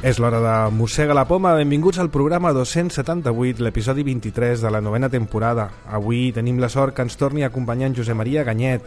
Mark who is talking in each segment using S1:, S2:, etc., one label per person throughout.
S1: És l'hora de Mossega la Poma. Benvinguts al programa 278, l'episodi 23 de la 9a temporada. Avui tenim la sort que ens torni a acompanyar en Josep Maria Ganyet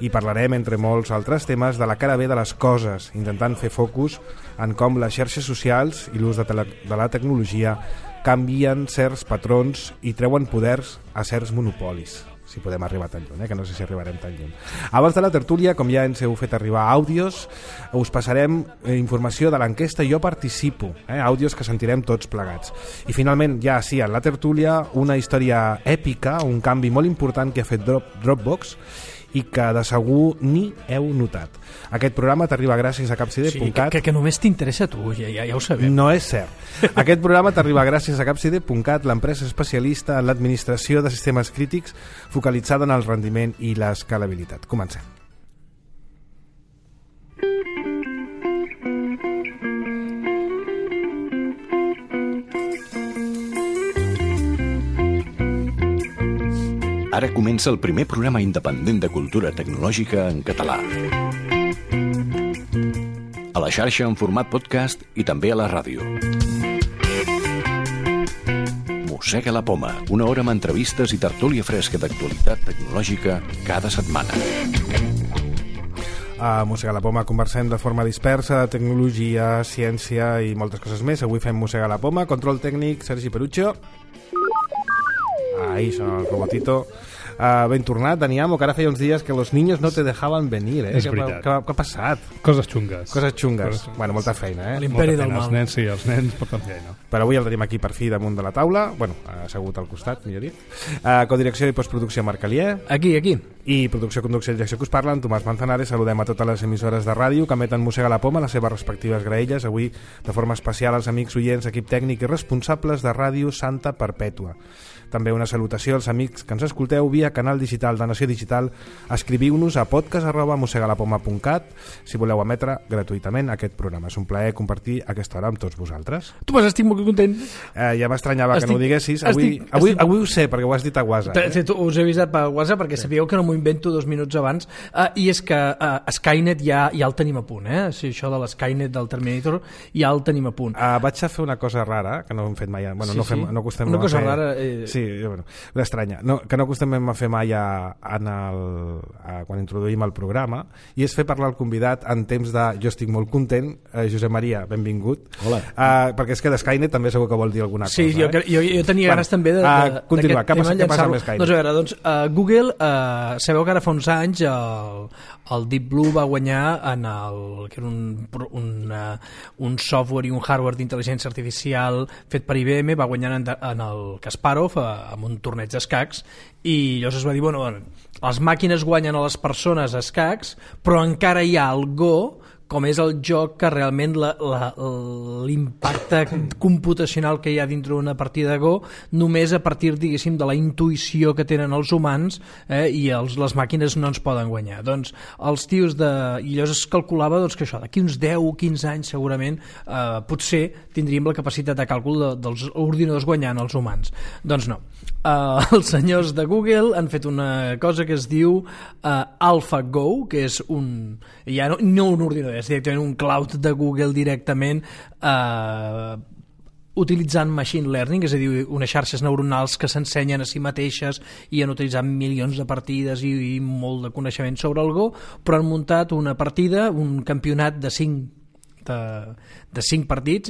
S1: i parlarem, entre molts altres temes, de la cara B de les coses, intentant fer focus en com les xarxes socials i l'ús de la tecnologia canvien certs patrons i treuen poders a certs monopolis. Si podem arribar tan lluny, que no sé si arribarem tan lluny. Abans de la tertúlia, com ja ens heu fet arribar àudios, us passarem informació de l'enquesta Jo Participo, àudios que sentirem tots plegats. I finalment, ja sí, en la tertúlia, una història èpica, un canvi molt important que ha fet Dropbox i que de segur ni heu notat. Aquest programa t'arriba gràcies a capcide.cat.
S2: Sí, que només t'interessa a tu, ja ho sabem.
S1: No és cert. Aquest programa t'arriba gràcies a capcide.cat, l'empresa especialista en l'administració de sistemes crítics focalitzada en el rendiment i l'escalabilitat. Comencem.
S3: Ara comença el primer programa independent de cultura tecnològica en català. A la xarxa en format podcast i també a la ràdio. Mossega la Poma, una hora amb entrevistes i tertúlia fresca d'actualitat tecnològica cada setmana.
S1: A Mossega la Poma conversem de forma dispersa de tecnologia, ciència i moltes coses més. Avui fem Mossega la Poma, control tècnic, Sergi Perucho. Ahí son el robotito. Ben tornat, Dani Amo, que ara feia uns dies que los niños no te dejaban venir.
S4: És veritat.
S1: Què ha passat?
S4: Coses xungues.
S1: Coses xungues. Bueno, molta feina,
S2: L'imperi del mal.
S4: Els nens, sí, els nens porten feina.
S1: Però avui el tenim aquí per fi damunt de la taula. Bueno, assegut al costat, millor dit. Codirecció i postproducció Marc Alier.
S2: Aquí.
S1: I producció, conducció i direcció que us parlen, Tomàs Manzanares. Saludem a totes les emissores de ràdio que emeten Mossega la Poma, les seves respectives graelles. Avui, de forma especial, als amics oients, equip tècnic i responsables de Ràdio Santa Perpètua. També una salutació als amics que ens escolteu via canal digital de Nació Digital. Escriviu-nos a podcast@mossegalapoma.cat si voleu emetre gratuïtament aquest programa. És un plaer compartir aquesta hora amb tots vosaltres.
S2: Tu vas, estic molt content.
S1: Ja m'estranyava que no ho diguessis. Avui ho sé, perquè ho has dit a WhatsApp.
S2: Us he avisat per WhatsApp perquè sabíeu que no m'ho invento 2 minuts abans. I és que Skynet ja el tenim a punt. Sí, això de l'Skynet del Terminator ja el tenim a punt.
S1: Vaig a fer una cosa rara, que no hem fet mai. Bueno,
S2: sí,
S1: no acostem
S2: una cosa
S1: a fer...
S2: rara...
S1: Sí, bueno, estranya. No, que no acostumem a fer mai quan introduïm el programa, i és fer parlar el convidat en temps de jo estic molt content. Josep Maria, benvingut.
S3: Hola.
S1: Perquè és que de Skynet també segur que vol dir alguna cosa.
S2: Sí, jo tenia ganes també de
S1: continuar. Què passa amb Skynet?
S2: Doncs a veure, Google, sabeu que ara fa uns anys el Deep Blue va guanyar que era un software i un hardware d'intel·ligència artificial fet per IBM, va guanyar en el Kasparov amb un torneig d'escacs, i llavors es va dir, bueno, les màquines guanyen a les persones a escacs, però encara hi ha el Go, com és el joc que realment l'impacte computacional que hi ha dintre d'una partida de Go, només a partir, diguéssim, de la intuïció que tenen els humans, i les màquines no ens poden guanyar. Doncs els tios i llavors es calculava que això, d'aquí uns 10 o 15 anys segurament potser tindríem la capacitat de càlcul dels ordinadors guanyant els humans. Doncs no. Els senyors de Google han fet una cosa que es diu AlphaGo, que és ja no un ordinador, és directament un cloud de Google directament, utilitzant machine learning, és a dir, unes xarxes neuronals que s'ensenyen a si mateixes, i han utilitzat milions de partides i molt de coneixement sobre el Go, però han muntat una partida, un campionat de 5 partits,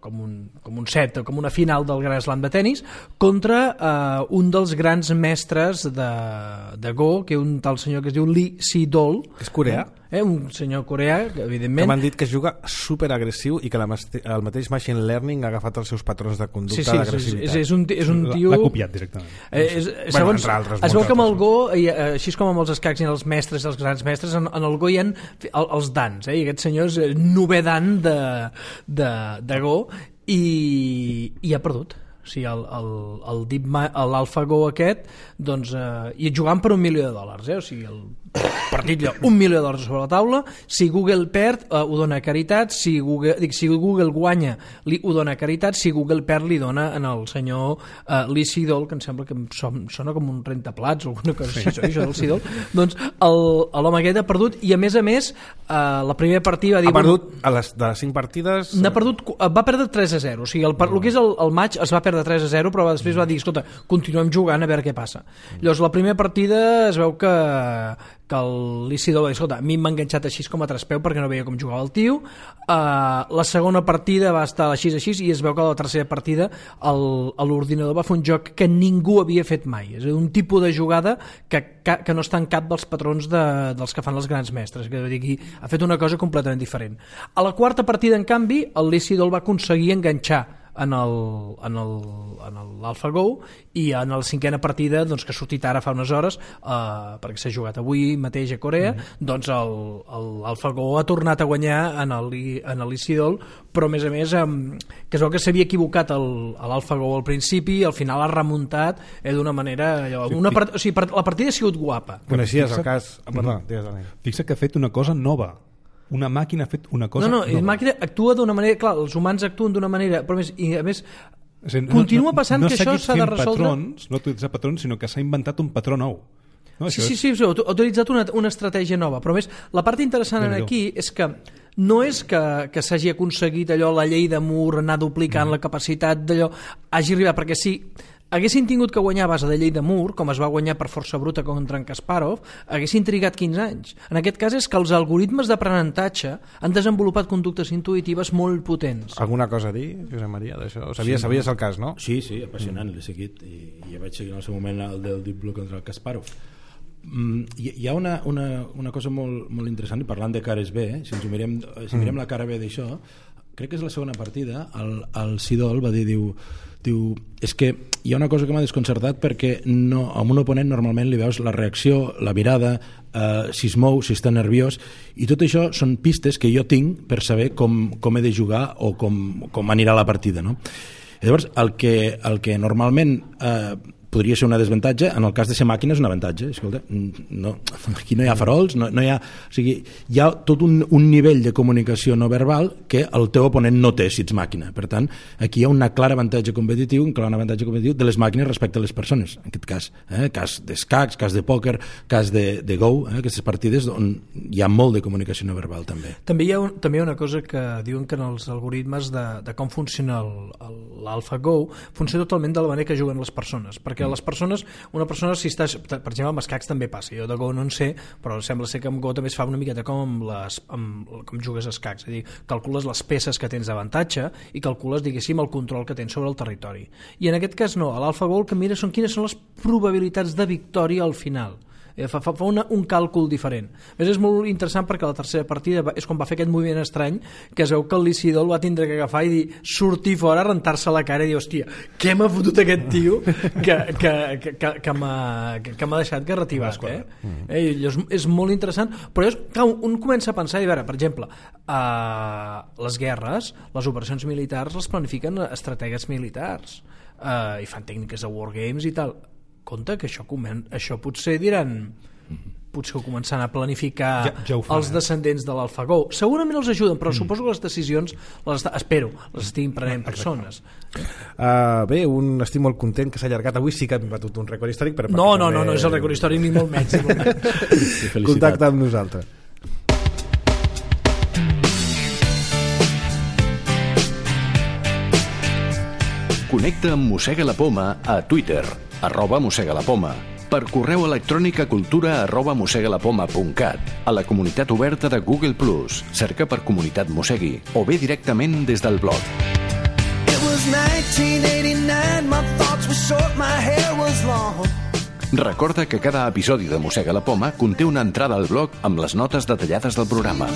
S2: com un set, com una final del Grand Slam de tennis, contra un dels grans mestres de Go, que un tal senyor que es diu Lee Sedol.
S1: És coreà?
S2: Un senyor coreà, evidentment.
S1: Que m'han dit que juga superagressiu i que el mateix machine learning ha agafat els seus patrons de conducta d'agressivitat.
S2: És un tio...
S4: L'ha copiat directament.
S2: Segons, es veu que amb el Go, així com amb els escacs i els mestres, els grans mestres, en el Go hi ha els dans, i aquest senyor és novè dan de Go, i ha perdut. o sigui, l'AlphaGo aquest, doncs, i jugant per $1 milió, o sigui, el partit allò, $1 milió sobre la taula. Si Google perd, ho dona a caritat. Si Google guanya, ho dona a caritat. Si Google perd, li dona al senyor Lee Sedol, que em sembla que sona com un rentaplats o alguna cosa així, això del Sedol. Doncs l'home aquest ha perdut, i a més, la primera partida va dir...
S1: Ha perdut de les 5 partides...
S2: Va perdre 3-0, o sigui, el que és el maig es va perdre 3-0, però després va dir, escolta, continuem jugant a veure què passa. Llavors, la primera partida es veu que el Licidol va dir, escolta, a mi m'ha enganxat així com a traspeu perquè no veia com jugava el tio. La segona partida va estar així, i es veu que a la tercera partida l'ordinador va fer un joc que ningú havia fet mai, és a dir, un tipus de jugada que no està en cap dels patrons dels que fan els grans mestres, que aquí ha fet una cosa completament diferent. A la quarta partida, en canvi, el Licidol va aconseguir enganxar en l'AlphaGo, i en la cinquena partida, doncs, que ha sortit ara fa unes hores, perquè s'ha jugat avui mateix a Corea, doncs l'AlphaGo ha tornat a guanyar en l'Isidol, però a més que es veu que s'havia equivocat l'AlphaGo al principi, i al final ha remuntat d'una manera... O sigui, la partida ha sigut guapa.
S1: Coneixies el cas...
S4: Fixa que ha fet una cosa nova. Una màquina ha fet una cosa
S2: nova. La màquina actua d'una manera... Clar, els humans actuen d'una manera... Però a més continua passant que això s'ha de resoldre...
S4: No ha utilitzat patrons, sinó que s'ha inventat un patró nou.
S2: Sí, ha utilitzat una estratègia nova. Però a més, la part interessant aquí és que no és que s'hagi aconseguit allò, la llei de Moore, anar duplicant la capacitat d'allò, hagi arribat, perquè si haguessin tingut que guanyar a base de llei de Moore, com es va guanyar per força bruta contra en Kasparov, haguessin trigat 15 anys. En aquest cas és que els algoritmes d'aprenentatge han desenvolupat conductes intuïtives molt potents.
S1: Alguna cosa a dir, Josep Maria, d'això? Sabies el cas, no?
S5: Sí, apassionant, l'he seguit, i ja vaig seguir en el seu moment el del Deep Blue contra el Kasparov. Hi ha una cosa molt interessant, i parlant de cares B, si mirem la cara B d'això, crec que és la segona partida, el Sidol va dir, diu, és que hi ha una cosa que m'ha desconcertat, perquè amb un oponent normalment li veus la reacció, la mirada, si es mou, si està nerviós, i tot això són pistes que jo tinc per saber com he de jugar o com anirà la partida, no? I llavors, el que normalment podria ser un desavantatge, en el cas de ser màquina és un avantatge. Escolta, aquí no hi ha farols, no hi ha... O sigui, hi ha tot un nivell de comunicació no verbal que el teu oponent no té si ets màquina. Per tant, aquí hi ha un clar avantatge competitiu de les màquines respecte a les persones. En aquest cas, cas d'escacs, cas de pòquer, cas de Go, aquestes partides on hi ha molt de comunicació no verbal també.
S2: També hi ha una cosa que diuen que en els algoritmes de com funciona l'AlphaGo funciona totalment de la manera que juguen les persones, perquè les persones, una persona, si estàs, per exemple, amb escacs també passa, jo de Go no en sé, però sembla ser que amb Go també es fa una miqueta com com jugues a escacs, és a dir, calcules les peces que tens d'avantatge i calcules, diguéssim, el control que tens sobre el territori. I en aquest cas no, a l'AlphaGo el que mira són quines són les probabilitats de victòria al final. Fa un càlcul diferent. A més, és molt interessant perquè la tercera partida és quan va fer aquest moviment estrany que es veu que el Licidol va tindre que agafar i dir, sortir fora, rentar-se la cara i dir, hòstia, què m'ha fotut aquest tio que m'ha deixat garrativat, és molt interessant, però un comença a pensar, i a veure, per exemple, les guerres, les operacions militars les planifiquen estratègies militars i fan tècniques de wargames i tal. Compte que això potser diran, potser ho començaran a planificar els descendents de l'AlphaGo. Segurament els ajuden, però suposo que les decisions les estiguin prenent persones.
S1: Bé, estic molt content que s'ha allargat. Avui sí que hem batut un rècord històric.
S2: No, és el rècord històric ni molt menys.
S1: Contacta amb nosaltres.
S3: Connecta amb Mossega la Poma a Twitter, @mossegalapoma, per correu electrònic a cultura@mossegalapoma.cat, a la comunitat oberta de Google+, cerca per Comunitat Mossegui, o bé directament des del blog. Recorda que cada episodi de Mossega la Poma conté una entrada al blog amb les notes detallades del programa.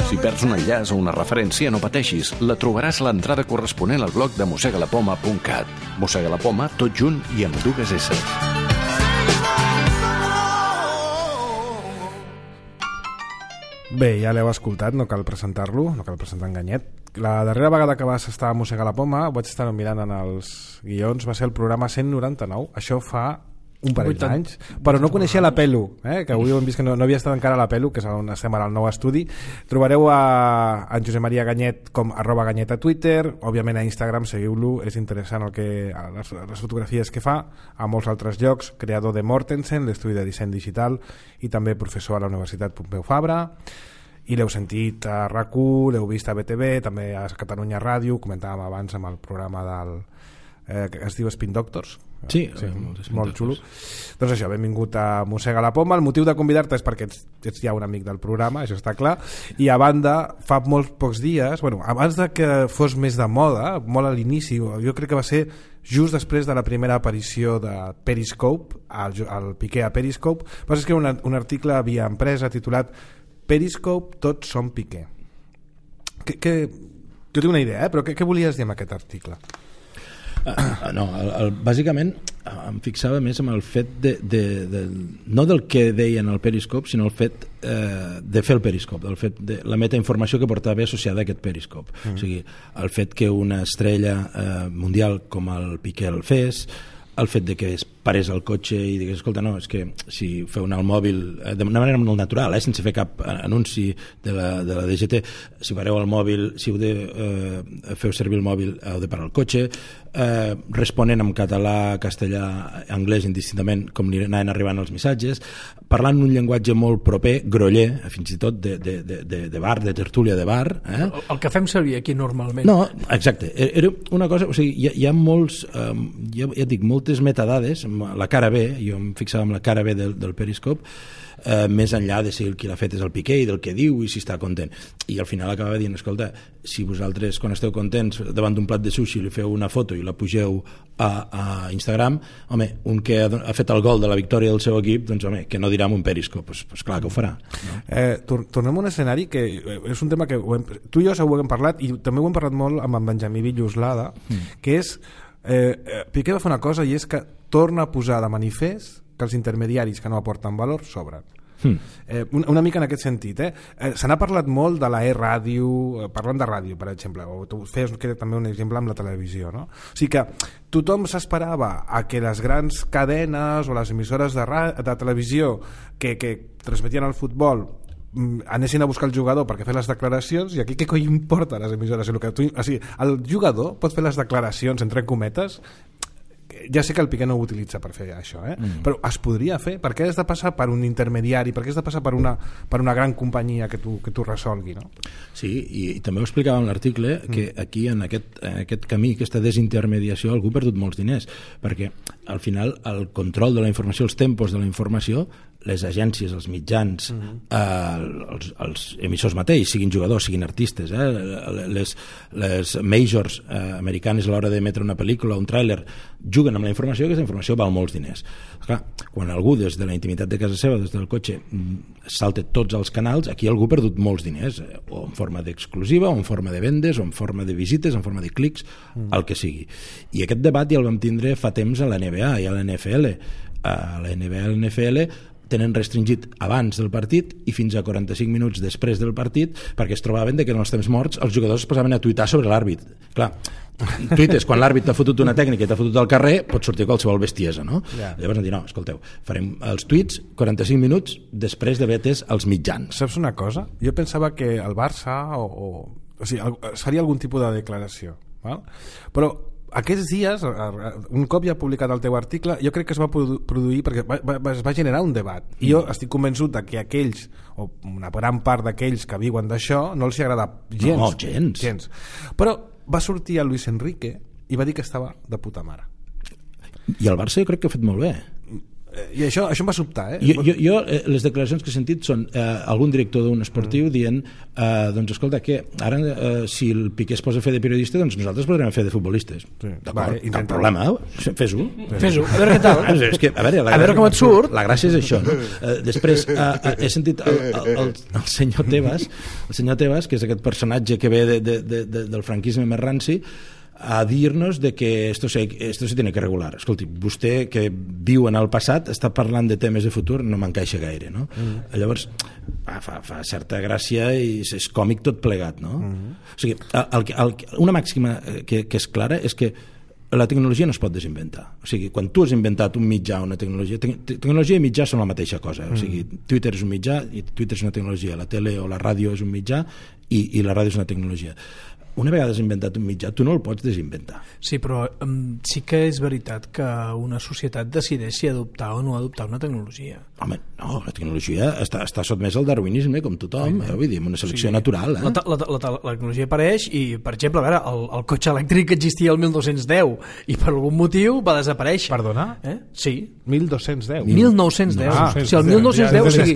S3: Si perds un enllaç o una referència, no pateixis, la trobaràs a l'entrada corresponent al blog de mossegalapoma.cat. Mossega la Poma, tot junt i amb 2 S.
S1: Bé, ja l'heu escoltat, no cal presentar-lo, no cal presentar en Ganyet. La darrera vegada que vas estar a Mossegar la Poma, vaig estar mirant en els guions, va ser el programa 199, això fa un parell d'anys, però no coneixia la Pelu, que avui hem vist que no havia estat encara a la Pelu, que és on estem ara al nou estudi. Trobareu en Josep Maria Ganyet com @Ganyet a Twitter, òbviament a Instagram, seguiu-lo, és interessant les fotografies que fa, a molts altres llocs, creador de Mortensen, l'estudi de disseny digital, i també professor a la Universitat Pompeu Fabra, i l'heu sentit a RAC1, l'heu vist a BTV, també a Catalunya Ràdio, comentàvem abans amb el programa que es diu Spin Doctors.
S5: Sí,
S1: molt xulo. Doncs això, benvingut a Mossega la Poma. El motiu de convidar-te és perquè ets ja un amic del programa, això està clar, i a banda, fa molts pocs dies, abans de que fos més de moda, molt a l'inici, jo crec que va ser just després de la primera aparició de Periscope, el Piqué a Periscope, vas escriure un article a Via Empresa titulat Periscope, tots som Piqué. Jo tinc una idea, però què volies dir amb aquest article?
S5: No, bàsicament em fixava més en el fet no del que deien al Periscope, sinó el fet de fer el Periscope, el fet de la metainformació que portava associada a aquest Periscope. O sigui, el fet que una estrella mundial com el Piqué el fes, el fet de que es parés al cotxe i digués, escolta, no, és que si feu anar el mòbil d'una manera molt natural, sense fer cap anunci de la DGT, si pareu el mòbil, si heu de feu servir el mòbil, heu de parar el cotxe, responent en català, castellà, anglès indistintament com li anaven arribant els missatges, parlant un llenguatge molt proper, groller, fins i tot de bar, de tertúlia de bar.
S2: El que fem servir aquí normalment.
S5: No, exacte, era una cosa, o sigui, hi ha molts, ja et dic, moltes metadades, la cara B, jo em fixava en la cara B del Periscope, més enllà de si el qui l'ha fet és el Piqué i del que diu i si està content, i al final acabava dient, escolta, si vosaltres quan esteu contents davant d'un plat de sushi li feu una foto i la pugeu a Instagram, home, un que ha fet el gol de la victòria del seu equip, doncs home, que no dirà en un Periscope, doncs clar que ho farà, no?
S1: Tornem a un escenari que és un tema que tu i jo segur que hem parlat, i també ho hem parlat molt amb en Benjamí Villoslada, que és Piqué va fer una cosa, i és que torna a posar de manifest que els intermediaris que no aporten valor sobren. Una mica en aquest sentit, se n'ha parlat molt de la e-ràdio, parlant de ràdio, per exemple, o tu feies també un exemple amb la televisió, no? O sigui que tothom s'esperava a que les grans cadenes o les emissores de televisió que transmetien el futbol anessin a buscar el jugador perquè fer les declaracions, i aquí què coi importa les emissores? O sigui, el jugador pot fer les declaracions entre cometes. Ja sé que el Piqué no ho utilitza per fer això, però es podria fer. Per què has de passar per un intermediari? Per què has de passar per una gran companyia que tu resolgui, no?
S5: Sí, i també ho explicava en l'article que aquí en aquest camí, aquesta desintermediació, algú ha perdut molts diners, perquè al final el control de la informació, els tempos de la informació, les agències, els mitjans, els emissors mateixos, siguin jugadors, siguin artistes, les majors americanes a l'hora d'emetre una pel·lícula, un tràiler, juguen amb la informació, que aquesta informació val molts diners. Clar, quan algú des de la intimitat de casa seva, des del cotxe, salta tots els canals, aquí algú ha perdut molts diners, o en forma d'exclusiva, o en forma de vendes, o en forma de visites, en forma de clics, el que sigui. I aquest debat ja el vam tindre fa temps a la NBA i a la NFL. A la NBA i a la NFL tenen restringit abans del partit i fins a 45 minuts després del partit, perquè es trobaven que en els temps morts els jugadors es posaven a tuitar sobre l'àrbit. Clar, tuites quan l'àrbit t'ha fotut una tècnica i t'ha fotut al carrer, pot sortir qualsevol bestiesa, no? Yeah. Llavors han dit, no, escolteu, farem els tuits 45 minuts després d'haver atès els mitjans.
S1: Saps una cosa? Jo pensava que el Barça o sigui, faria algun tipus de declaració, val? Però aquests dies, un cop ja ha publicat el teu article, jo crec que es va produir perquè es va generar un debat, i jo estic convençut que aquells, o una gran part d'aquells que viuen d'això, no els hi agrada gens.
S5: No, gens.
S1: Però va sortir el Luis Enrique i va dir que estava de puta mare.
S5: I el Barça jo crec que ha fet molt bé.
S1: I això em va sobtar,
S5: Jo les declaracions que he sentit són algun director d'un esportiu dient doncs escolta, que ara si el Piqué es posa a fer de periodista, doncs nosaltres podrem fer de futbolistes. D'acord, cap problema, fes-ho,
S2: a veure què tal.
S5: És que, a
S2: veure com et surt.
S5: La gràcia és això, no? Després he sentit el senyor Tebas, que és aquest personatge que ve del franquisme més ranci, a dir-nos de que esto se tiene que regular. Escolti, vostè que viu en el passat està parlant de temes de futur, no m'encaixa gaire, no? Llavors fa certa gràcia i és còmic tot plegat, no? O sigui, una màxima que és clara és que la tecnologia no es pot desinventar. O sigui, quan tu has inventat un mitjà o una tecnologia, tecnologia i mitjà són la mateixa cosa. O sigui, Twitter és un mitjà i Twitter és una tecnologia, la tele o la ràdio és un mitjà i la ràdio és una tecnologia. Una vegada has inventat un mitjà, tu no el pots desinventar.
S2: Sí, però sí que és veritat que una societat decideix si adoptar o no adoptar una tecnologia.
S5: Home, no, la tecnologia està sotmesa al darwinisme com tothom, vull dir, una selecció natural.
S2: La tecnologia apareix i, per exemple, a veure, el cotxe elèctric existia el 1210 i per algun motiu va desaparèixer.
S1: Perdona?
S2: Sí.
S1: 1210?
S2: 1910. O sigui, el 1910, o sigui,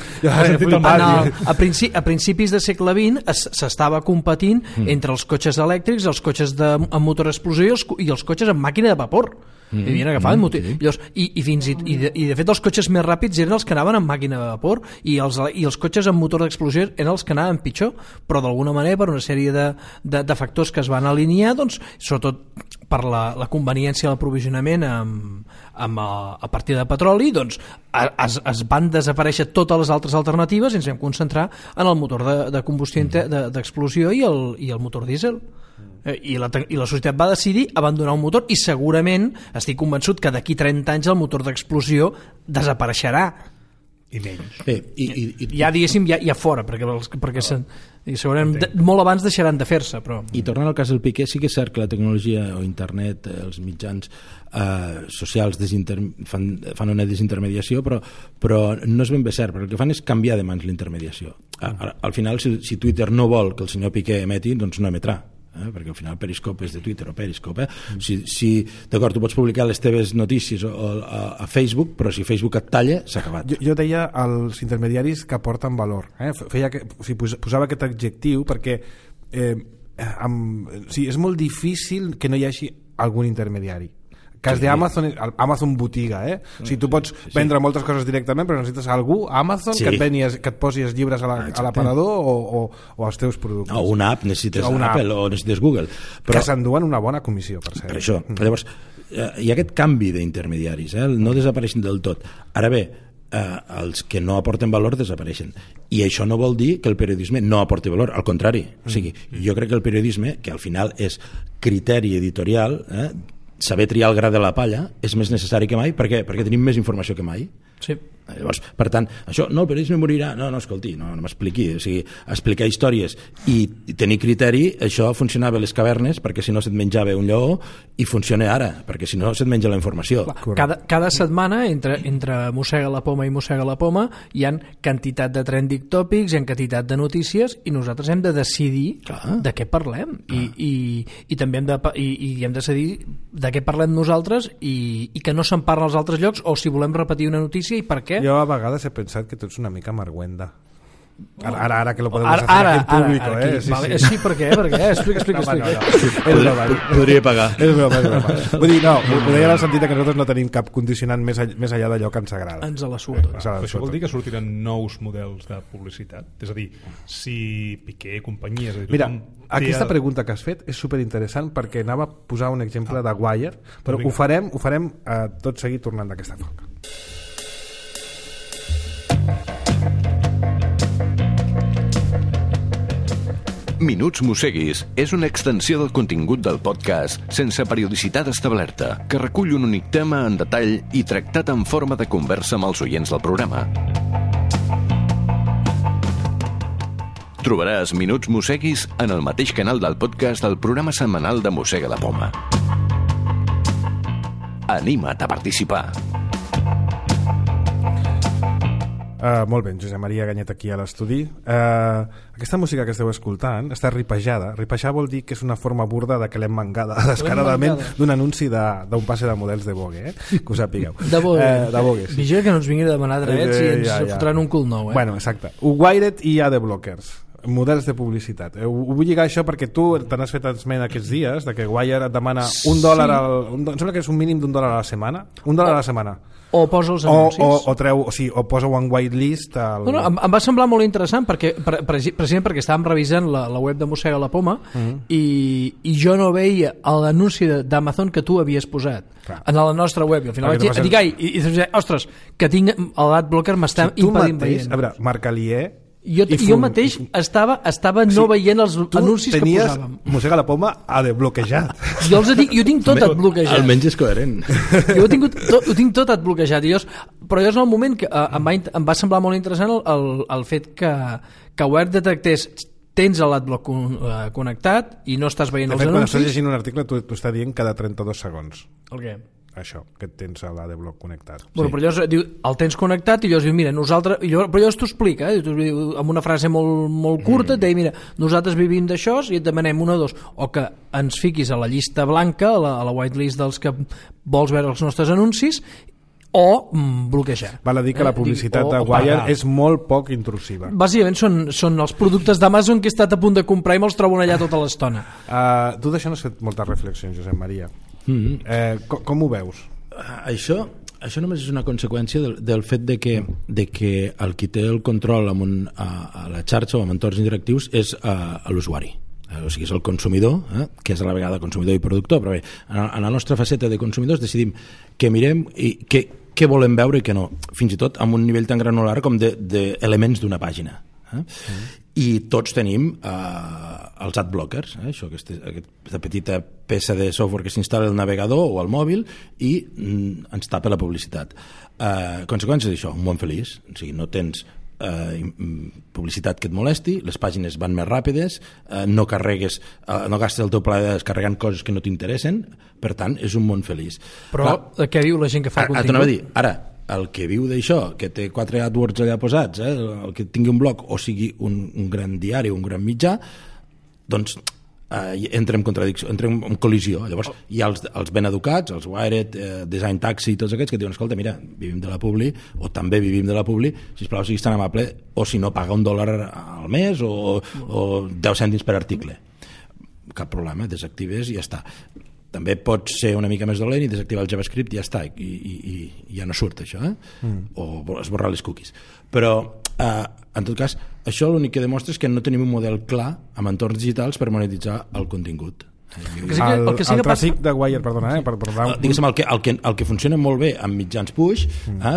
S2: a principis del segle XX s'estava competint entre els cotxes elèctrics, els cotxes amb motor explosiu i els cotxes amb màquina de vapor. I havien agafat i de fet els cotxes més ràpids eren els que anaven amb màquina de vapor i els cotxes amb motor d'explosió eren els que anaven pitjor, però d'alguna manera per una sèrie de factors que es van alinear, doncs, sobretot per la conveniència de l'aprovisionament a partir de petroli, doncs es van desaparèixer totes les altres alternatives i ens vam concentrar en el motor de combustió d'explosió i el motor dièsel. I la societat va decidir abandonar un motor i segurament estic convençut que d'aquí 30 anys el motor d'explosió desapareixerà
S4: i menys
S2: ja diguéssim ja fora perquè segurament molt abans deixaran de fer-se però...
S5: I tornant al cas del Piqué, sí que és cert que la tecnologia o internet, els mitjans socials fan una desintermediació, però no és ben bé cert, perquè el que fan és canviar de mans l'intermediació. Al final, si Twitter no vol que el senyor Piqué emeti, doncs no emetrà, perquè al final Periscope és de Twitter o Periscope. Si d'acord, tu pots publicar les teves notícies a Facebook, però si Facebook et talla, s'ha acabat.
S1: Jo deia als intermediaris que aporten valor, posava aquest adjectiu perquè és molt difícil que no hi hagi algun intermediari. Cas d'Amazon, Amazon botiga, o sigui, tu pots vendre moltes coses directament, però necessites algú, Amazon, que et posi els llibres a l'aparador o als teus productes.
S5: O una app, necessites Apple o necessites Google.
S1: Que s'enduen una bona comissió, per cert.
S5: Per això. Llavors, hi ha aquest canvi d'intermediaris, no desapareixen del tot. Ara bé, els que no aporten valor desapareixen, i això no vol dir que el periodisme no aporti valor, al contrari. O sigui, jo crec que el periodisme, que al final és criteri editorial, saber triar el gra de la palla és més necessari que mai. Per què? Perquè tenim més informació que mai.
S2: Sí.
S5: Llavors, per tant, això, no, el periodisme morirà, no, escolti, no m'expliqui, o sigui, explicar històries i tenir criteri, això funcionava a les cavernes perquè si no se't menjava un lleó, i funciona ara, perquè si no se't menja la informació.
S2: Cada setmana entre Mossega la Poma i Mossega la Poma hi ha quantitat de trending topics, hi ha quantitat de notícies i nosaltres hem de decidir de què parlem i també hem de decidir de què parlem nosaltres i que no se'n parla als altres llocs, o si volem repetir una notícia i per què.
S1: Jo a vegades he pensat que tu ets una mica marguenda. Ara que lo podemos hacer en público,
S2: Sí, per què? Explica.
S5: Podria pagar.
S1: És broma. Vull dir, no, ho deia en el sentit que nosaltres no tenim cap condicionant més enllà d'allò que ens agrada.
S2: Ens la sua tot.
S4: Això vol dir que sortiran nous models de publicitat? És a dir, si Piqué, companyia...
S1: Mira, aquesta pregunta que has fet és superinteressant perquè anava a posar un exemple de Wire, però ho farem tot seguit tornant d'aquesta falca.
S3: Minuts Mosseguis és una extensió del contingut del podcast sense periodicitat establerta, que recull un únic tema en detall i tractat en forma de conversa amb els oients del programa. Trobaràs Minuts Mosseguis en el mateix canal del podcast del programa setmanal de Mossega la Poma. Anima't a participar.
S1: Molt bé, Josep Maria Ganyet aquí a l'estudi. Aquesta música que esteu escoltant està ripejada. Ripejar vol dir que és una forma burda de que l'hem mangada descaradament d'un anunci d'un passe de models de Vogue, que ho sapigueu.
S2: De Vogue, sí. Vigila que no ens vingui a demanar drets i ens fotran un cul nou.
S1: Bueno, exacte. Wired i AD Blockers. models de publicitat. Ho vull lligar això perquè tu te n'has fet esment aquests dies de que Wire et demana $1 em sembla que és un mínim $1 a la setmana, $1 a la setmana,
S2: o posa els anuncis
S1: o posa un whitelist
S2: em va semblar molt interessant perquè, precisament perquè estàvem revisant la web de Mossega la Poma i jo no veia l'anunci d'Amazon que tu havies posat en la nostra web i al final vaig dir, ostres, que tinc l'adblocker m'està impedint veient.
S1: A veure, Marc Alier
S2: jo mateix estava no veient els anuncis que posàvem.
S1: Mossega la Poma ha desbloquejat.
S2: Jo tinc tot adbloquejat.
S5: Almenys és coherent.
S2: Jo ho tinc tot adbloquejat. Però jo és el moment que em va semblar molt interessant el fet que Wire detectés tens l'adblock connectat i no estàs veient els anuncis.
S1: Quan estàs llegint un article t'ho està dient cada 32 segons.
S2: El què?
S1: Això, que tens l'adblock connectat.
S2: Bueno, però llavors diu, el tens connectat i llavors diu, mira, nosaltres... Però llavors t'ho explica, amb una frase molt curta, et deia, mira, nosaltres vivim d'això i et demanem una o dos, o que ens fiquis a la llista blanca, a la whitelist dels que vols veure els nostres anuncis, o bloquejar.
S1: Val a dir que la publicitat de Wire és molt poc intrusiva.
S2: Bàsicament són els productes d'Amazon que he estat a punt de comprar i me'ls trobo allà tota l'estona.
S1: Tu d'això n'has fet moltes reflexions, Josep Maria. Com ho veus?
S5: Això només és una conseqüència del fet de que el qui té el control a la xarxa o amb entorns interactius és l'usuari. O sigui, és el consumidor, que és a la vegada consumidor i productor, però bé, en la nostra faceta de consumidors decidim què mirem i què volem veure i què no, fins i tot amb un nivell tan granular com d'elements d'una pàgina. I tots tenim els adblockers, això, aquesta petita peça de software que s'instal·la al navegador o al mòbil i ens tapa la publicitat. Conseqüències d'això, un món feliç, o sigui, no tens publicitat que et molesti, les pàgines van més ràpides, no gastes el teu pla de descarregant coses que no t'interessen, per tant és un món feliç.
S2: Però què diu la gent que fa contingut?
S5: Ara, el que viu d'això, que té 4 AdWords allà posats, el que tingui un blog o sigui un gran diari, un gran mitjà, doncs entra en contradicció, entra en col·lisió. Llavors hi ha els ben educats, els Wired, Design Taxi i tots aquests que diuen, escolta, mira, vivim de la publi o també vivim de la publi, sisplau, siguis tan amable, o si no, paga $1 al mes o 10 cèntims per article. Cap problema, desactives i ja està. També pots ser una mica més dolent i desactivar el JavaScript i ja està, i ja no surt això, o esborrar les cookies. Però en tot cas, això l'únic que demostra és que no tenim un model clar amb entorns digitals per monetitzar el contingut.
S1: El tràfic de Wire, perdona,
S5: diguéssim, el que funciona molt bé amb mitjans push,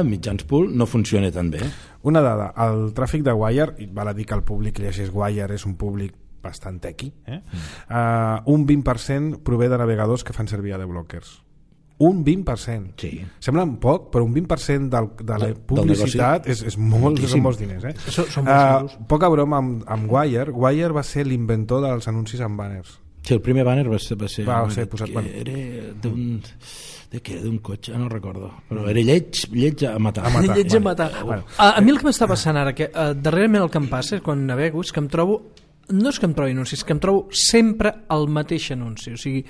S5: mitjans pull no funciona tan bé.
S1: Una dada, el tràfic de Wire, val a dir que el públic que llegeix Wire és un públic bastant tequi, un 20% prové de navegadors que fan servir adblockers. Un 20%.
S5: Sí.
S1: Sembla poc, però un 20% de la publicitat és molts diners.
S2: Són molts.
S1: Poca broma amb Wire. Wire va ser l'inventor dels anuncis amb banners.
S5: Sí, el primer banner va ser
S1: posat,
S5: era d'un cotxe, no recordo, però era lleig a matar.
S2: Lleig a matar. A mi el que m'està passant ara, que darrerament el que em passa quan navego és que em trobo, no és que em trobi anuncis, que em trobo sempre el mateix anunci. O sigui,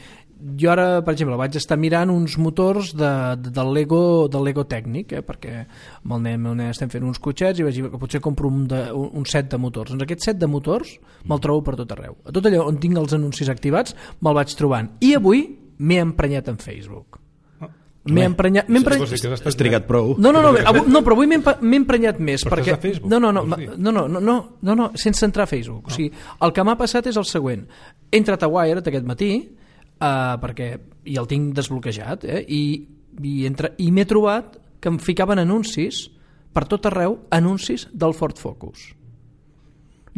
S2: jo ara, per exemple, vaig estar mirant uns motors del Lego tècnic, perquè amb el nen estem fent uns cotxets i vaig dir que potser compro un set de motors. Doncs aquest set de motors me'l trobo per tot arreu. A tot allò on tinc els anuncis activats me'l vaig trobant. I avui m'he emprenyat en Facebook. M'he emprenyat...
S5: Has trigat prou.
S2: No, però avui m'he emprenyat més.
S4: Però
S2: perquè...
S4: estàs a Facebook?
S2: No, sense entrar a Facebook. O sigui, el que m'ha passat és el següent. He entrat a Wired aquest matí, perquè i el tinc desbloquejat, i m'he trobat que em ficaven anuncis per tot arreu, anuncis del Ford Focus.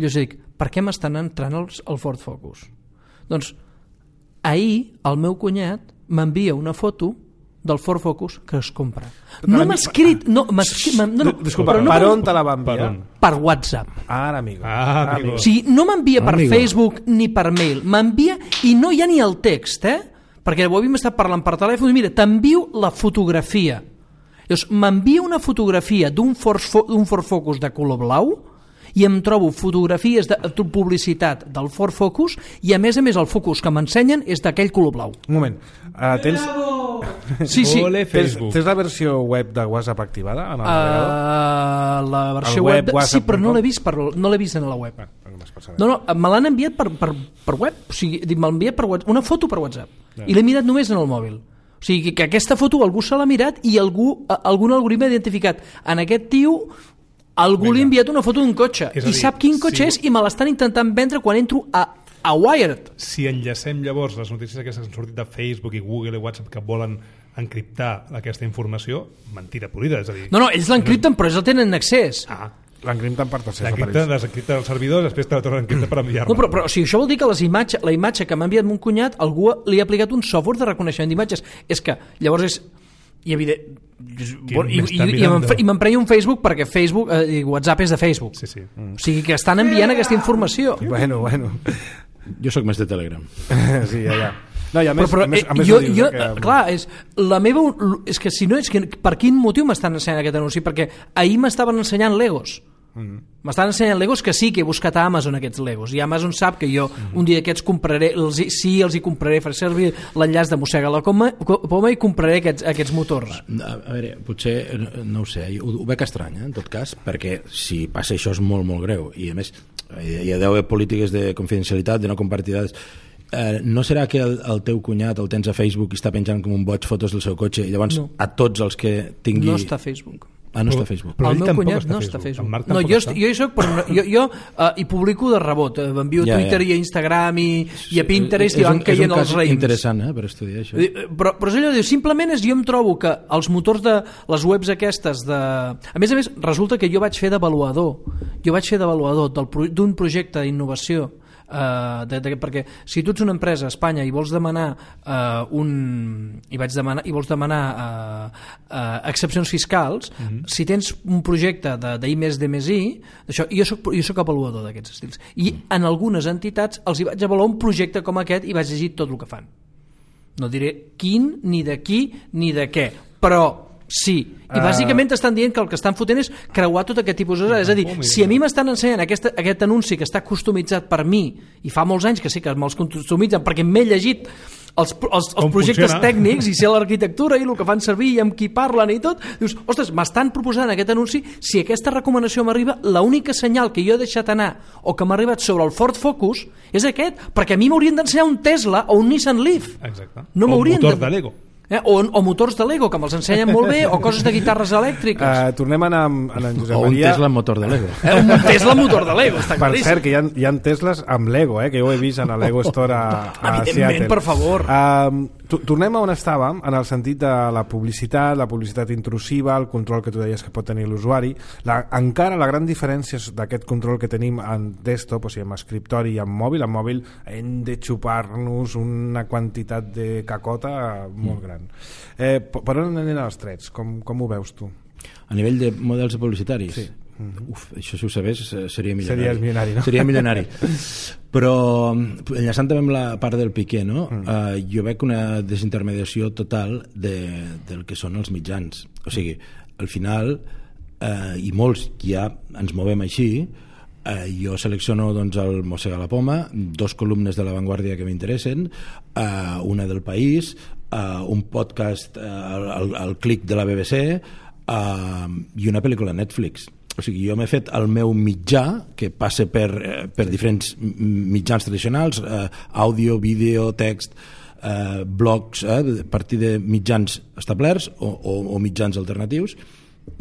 S2: Jo dic, per què m'estan entrant el Ford Focus? Doncs ahir el meu cunyat m'envia una foto del Ford Focus que es compra. No m'ha escrit...
S1: Disculpa, per on te la va enviar?
S2: Per WhatsApp.
S1: Ara, amigo.
S2: O sigui, no m'envia per Facebook ni per mail, m'envia i no hi ha ni el text, perquè ho havíem estat parlant per telèfon i mira, t'envio la fotografia. Llavors, m'envia una fotografia d'un Ford Focus de color blau i em trobo fotografies de publicitat del Ford Focus i a més el Focus que m'ensenyen és d'aquell color blau.
S1: Un moment, tens...
S2: Sí.
S1: Tens la versió web de WhatsApp activada en el navegador?
S2: La versió web sí, però no l'he vist en la web.
S1: només per saber.
S2: No, me l'han enviat per web, o sigui, m'han enviat per WhatsApp, una foto per WhatsApp, i l'he mirat només en el mòbil. O sigui, que aquesta foto algú se l'ha mirat i algun algoritme ha identificat en aquest tio, algú li ha enviat una foto d'un cotxe i sap quin cotxe és i me l'estan intentant vendre quan entro a Wired.
S4: Si enllacem llavors les notícies aquestes que han sortit de Facebook i Google i WhatsApp que volen encriptar aquesta informació, mentira polida, és a dir...
S2: No, ells l'encripten però ells el tenen en accés.
S1: L'encripten per tercers
S4: aparells. Desencripten els servidors, després te la tornen a encriptar per enviar-la.
S2: No, però o sigui, això vol dir que la imatge que m'ha enviat mon cunyat, algú li ha aplicat un software de reconeixement d'imatges. És que llavors és... I m'emprenya un Facebook perquè Facebook, WhatsApp és de Facebook.
S4: Sí.
S2: O sigui que estan enviant aquesta informació.
S1: Bueno.
S5: Jo sóc més de Telegram.
S1: Sí, ja. No, i a més,
S2: clar, és que si no, és que per quin motiu m'estan ensenyant aquest anunci? Perquè ahir m'estaven ensenyant Legos. M'estan ensenyant Legos que sí que he buscat a Amazon aquests Legos i Amazon sap que jo un dia aquests compraré, els hi compraré, faré servir l'enllaç de Mossega la Poma i compraré aquests motors.
S5: A veure, potser, no ho sé, ho veig estrany, en tot cas, perquè si passa això és molt, molt greu i a més hi ha d'haver polítiques de confidencialitat, de no compartir dades. No serà que el teu cunyat el tens a Facebook i està penjant com un boig fotos del seu cotxe i llavors a tots els que tingui...
S2: No està a Facebook.
S5: No està a Facebook.
S2: El meu cunyat no està a Facebook. No, jo hi soc, però jo hi publico de rebot, m'envio a Twitter i a Instagram i a Pinterest i van caient els raïms.
S5: És un cas interessant per estudiar això.
S2: Però és allò, simplement jo em trobo que els motors de les webs aquestes a més, resulta que jo vaig fer d'avaluador d'un projecte d'innovació perquè si tu ets una empresa a Espanya i vols demanar excepcions fiscals, si tens un projecte d'I+D+I, jo soc avaluador d'aquests estils i en algunes entitats els hi vaig avaluar un projecte com aquest i vaig llegir tot el que fan. No diré quin, ni de qui, ni de què, però sí, i bàsicament t'estan dient que el que estan fotent és creuar tot aquest tipus de coses. És a dir, si a mi m'estan ensenyant aquest anunci que està customitzat per mi i fa molts anys que sí que me'ls customitzen perquè m'he llegit els projectes tècnics i sé l'arquitectura i el que fan servir i amb qui parlen i tot, dius, ostres, m'estan proposant aquest anunci, si aquesta recomanació m'arriba, l'única senyal que jo he deixat anar o que m'ha arribat sobre el Ford Focus és aquest, perquè a mi m'haurien d'ensenyar un Tesla o un Nissan Leaf.
S4: Exacte.
S2: No
S4: o un motor de Lego.
S2: O motors de Lego que me'ls ensenyen molt bé o coses de guitarres elèctriques.
S1: Tornem a anar amb en Josep Maria.
S5: O un Tesla motor de Lego.
S2: Un Tesla motor de Lego, està claríssim.
S1: Per cert, que hi ha Teslas amb Lego, que jo ho he vist en el Lego Store a
S2: Evidentment,
S1: Seattle.
S2: per favor.
S1: Tornem a on estàvem, en el sentit de la publicitat intrusiva, el control que tu deies que pot tenir l'usuari. Encara la gran diferència d'aquest control que tenim en desktop, o sigui, amb escriptori i amb mòbil. En mòbil hem de xupar-nos una quantitat de cacota molt gran. Per on anen els trets? Com ho veus tu?
S5: A nivell de models publicitaris?
S1: Sí.
S5: Això si ho sabés seria milionari.
S1: Series milionari, no?
S5: Seria milionari. Però enllaçant també amb la part del Piqué, no? Jo veig una desintermediació total del que són els mitjans. O sigui, al final, i molts ja ens movem així, jo selecciono doncs, el Mossega la Poma, 2 columnes de La Vanguardia que m'interessen, una del País, un podcast al clic de la BBC i una pel·lícula a Netflix. O sigui, jo m'he fet el meu mitjà que passa per diferents mitjans tradicionals, àudio, vídeo, text, blogs, a partir de mitjans establerts o mitjans alternatius,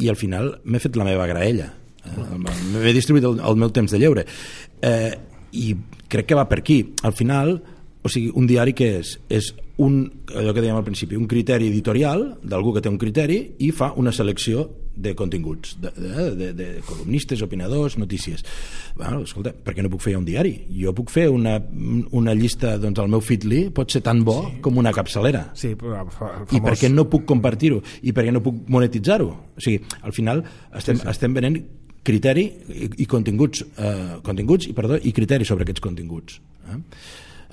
S5: i al final m'he fet la meva graella. M'he distribuït el meu temps de lleure. I crec que va per aquí. Al final, o sigui, un diari que és allò que dèiem al principi, un criteri editorial d'algú que té un criteri i fa una selecció de continguts, de columnistes, opinadors, notícies. Bueno, escolta, per què no puc fer un diari? Jo puc fer una llista, doncs el meu Feedly pot ser tan bo com una capçalera.
S1: Sí,
S5: I per què no puc compartir-ho? I per què no puc monetitzar-ho? O sigui, al final estem venent criteri i continguts i criteri sobre aquests continguts.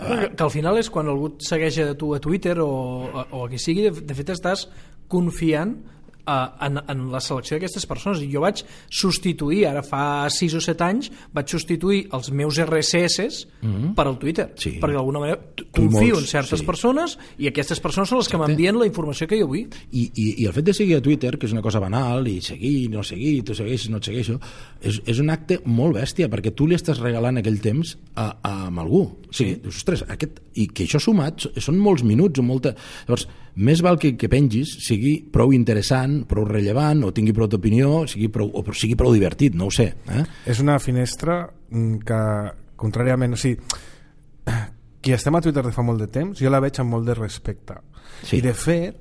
S2: Que al final és quan algú et segueix a tu a Twitter o a qui sigui, de fet estàs confiant en la selecció d'aquestes persones. I jo vaig substituir, ara fa 6 o 7 anys, vaig substituir els meus RSS per al Twitter, perquè d'alguna manera confio en certes persones i aquestes persones són les que m'envien la informació que jo vull.
S5: I el fet de seguir a Twitter, que és una cosa banal, i seguir, no seguir, tu segueixes, no et segueixo, és un acte molt bèstia, perquè tu li estàs regalant aquell temps a algú. O sigui, ostres, i que això sumat són molts minuts o molta... Llavors, més val que pengis sigui prou interessant, prou rellevant, o tingui prou d'opinió, o sigui prou divertit, no ho sé.
S1: És una finestra que, contràriament, o sigui, qui estem a Twitter de fa molt de temps, jo la veig amb molt de respecte. I de fet,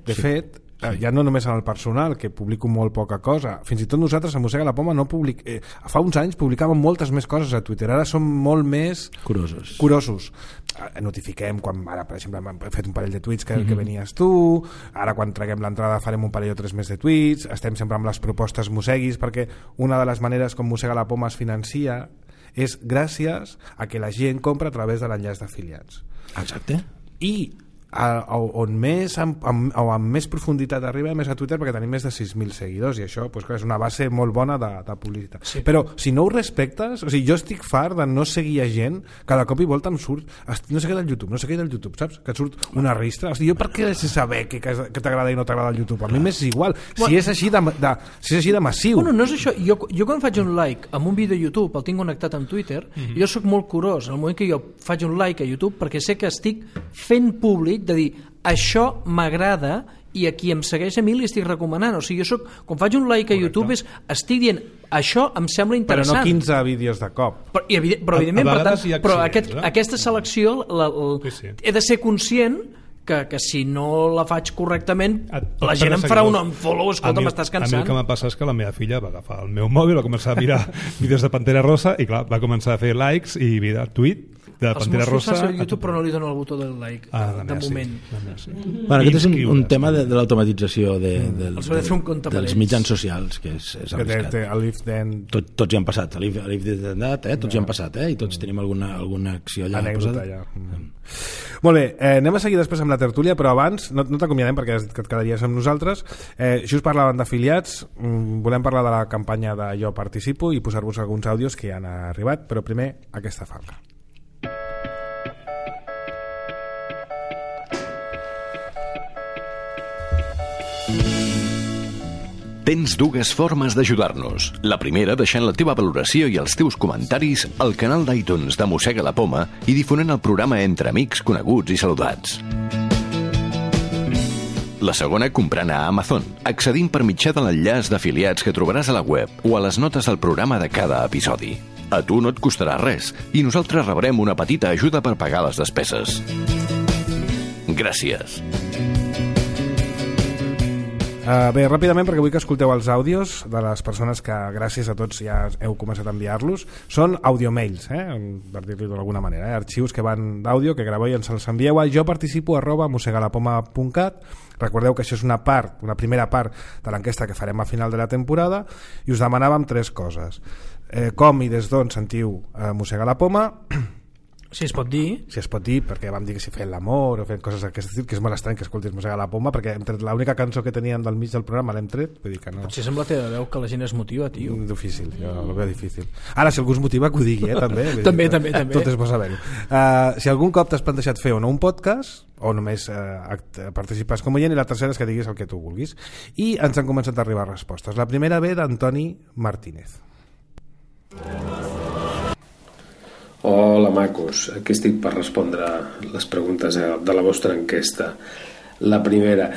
S1: ja no només en el personal, que publico molt poca cosa, fins i tot nosaltres a Mossega la Poma fa uns anys publicàvem moltes més coses a Twitter, ara som molt més curosos. Notifiquem quan, ara per exemple hem fet un parell de tuits que venies tu, ara quan traguem l'entrada farem un parell o 3 més de tuits, estem sempre amb les propostes Mosseguis, perquè una de les maneres com Mossega la Poma es financia és gràcies a que la gent compra a través de l'enllaç d'afiliats.
S5: Exacte.
S1: I on més amb més profunditat arriba més a Twitter, perquè tenim més de 6.000 seguidors i això és una base molt bona de publicitat. Però si no ho respectes, o sigui, jo estic fart de no seguir a gent que de cop i volta em surt no sé què del YouTube, saps? Que et surt una ristra. O sigui, jo per què he de saber què t'agrada i no t'agrada el YouTube? A mi m'és igual, si és així de massiu.
S2: Bueno, no és això. Jo quan faig un like amb un vídeo a YouTube, el tinc connectat amb Twitter, jo sóc molt curós en el moment que jo faig un like a YouTube, perquè sé que estic fent públic de dir, això m'agrada i a qui em segueix a mi li estic recomanant. O sigui, quan faig un like a YouTube estic dient, això em sembla interessant.
S1: Però no 15 vídeos de cop.
S2: Però evidentment, però aquesta selecció he de ser conscient que si no la faig correctament la gent em farà un unfollow. Escolta, m'estàs cansant.
S4: A mi el que m'ha passat és que la meva filla va agafar el meu mòbil, va començar a mirar vídeos de Pantera Rosa i clar, va començar a fer likes i tweet de Pantera Rosa.
S2: Els meus fills a YouTube però no li dono el botó del like de moment.
S5: Bueno, aquest és un tema de l'automatització dels mitjans socials, que és arriscat. Tots hi han passat, a l'If d'Endat, tots hi han passat, i tots tenim alguna acció allà.
S1: Anècdota allà. Molt bé, anem a seguir després amb la tertúlia, però abans no t'acomiadem perquè has dit que et quedaries amb nosaltres. Just parlaven d'afiliats, volem parlar de la campanya de Jo Participo i posar-vos alguns àudios que ja han arribat, però primer aquesta falca.
S3: Tens dues formes d'ajudar-nos. La primera, deixant la teva valoració i els teus comentaris al canal d'iTunes de Mossega la Poma i difonent el programa entre amics, coneguts i saludats. La segona, comprant a Amazon, accedint per mitjà de l'enllaç d'afiliats que trobaràs a la web o a les notes del programa de cada episodi. A tu no et costarà res i nosaltres rebrem una petita ajuda per pagar les despeses. Gràcies.
S1: Bé, ràpidament, perquè vull que escolteu els àudios de les persones que gràcies a tots ja heu començat a enviar-los. Són audiomails, per dir-li d'alguna manera, arxius que van d'àudio que graveu i ens els envieu a joparticipo@mossegalapoma.cat. Recordeu que això és una primera part de l'enquesta que farem a final de la temporada i us demanàvem 3 coses. Com i des d'on sentiu Mossega la Poma,
S2: si es pot dir,
S1: perquè vam dir que si feien l'amor o feien coses d'aquest estil, que és molt estrany que escoltis Mossega la Poma, perquè hem tret l'única cançó que teníem del mig del programa l'hem tret, vull dir que no.
S2: Potser sembla que veu que la gent es motiva, tio.
S1: Difícil, jo ho veu difícil. Ara, si algú es motiva, que ho digui, també.
S2: també.
S1: Tot és bo saber-ho. Si algun cop t'has plantejat fer o no un podcast, o només participes com oient, i la tercera és que diguis el que tu vulguis. I ens han començat a arribar respostes. La primera ve d'Antoni Martínez.
S6: Hola macos, aquí estic per respondre les preguntes de la vostra enquesta. La primera,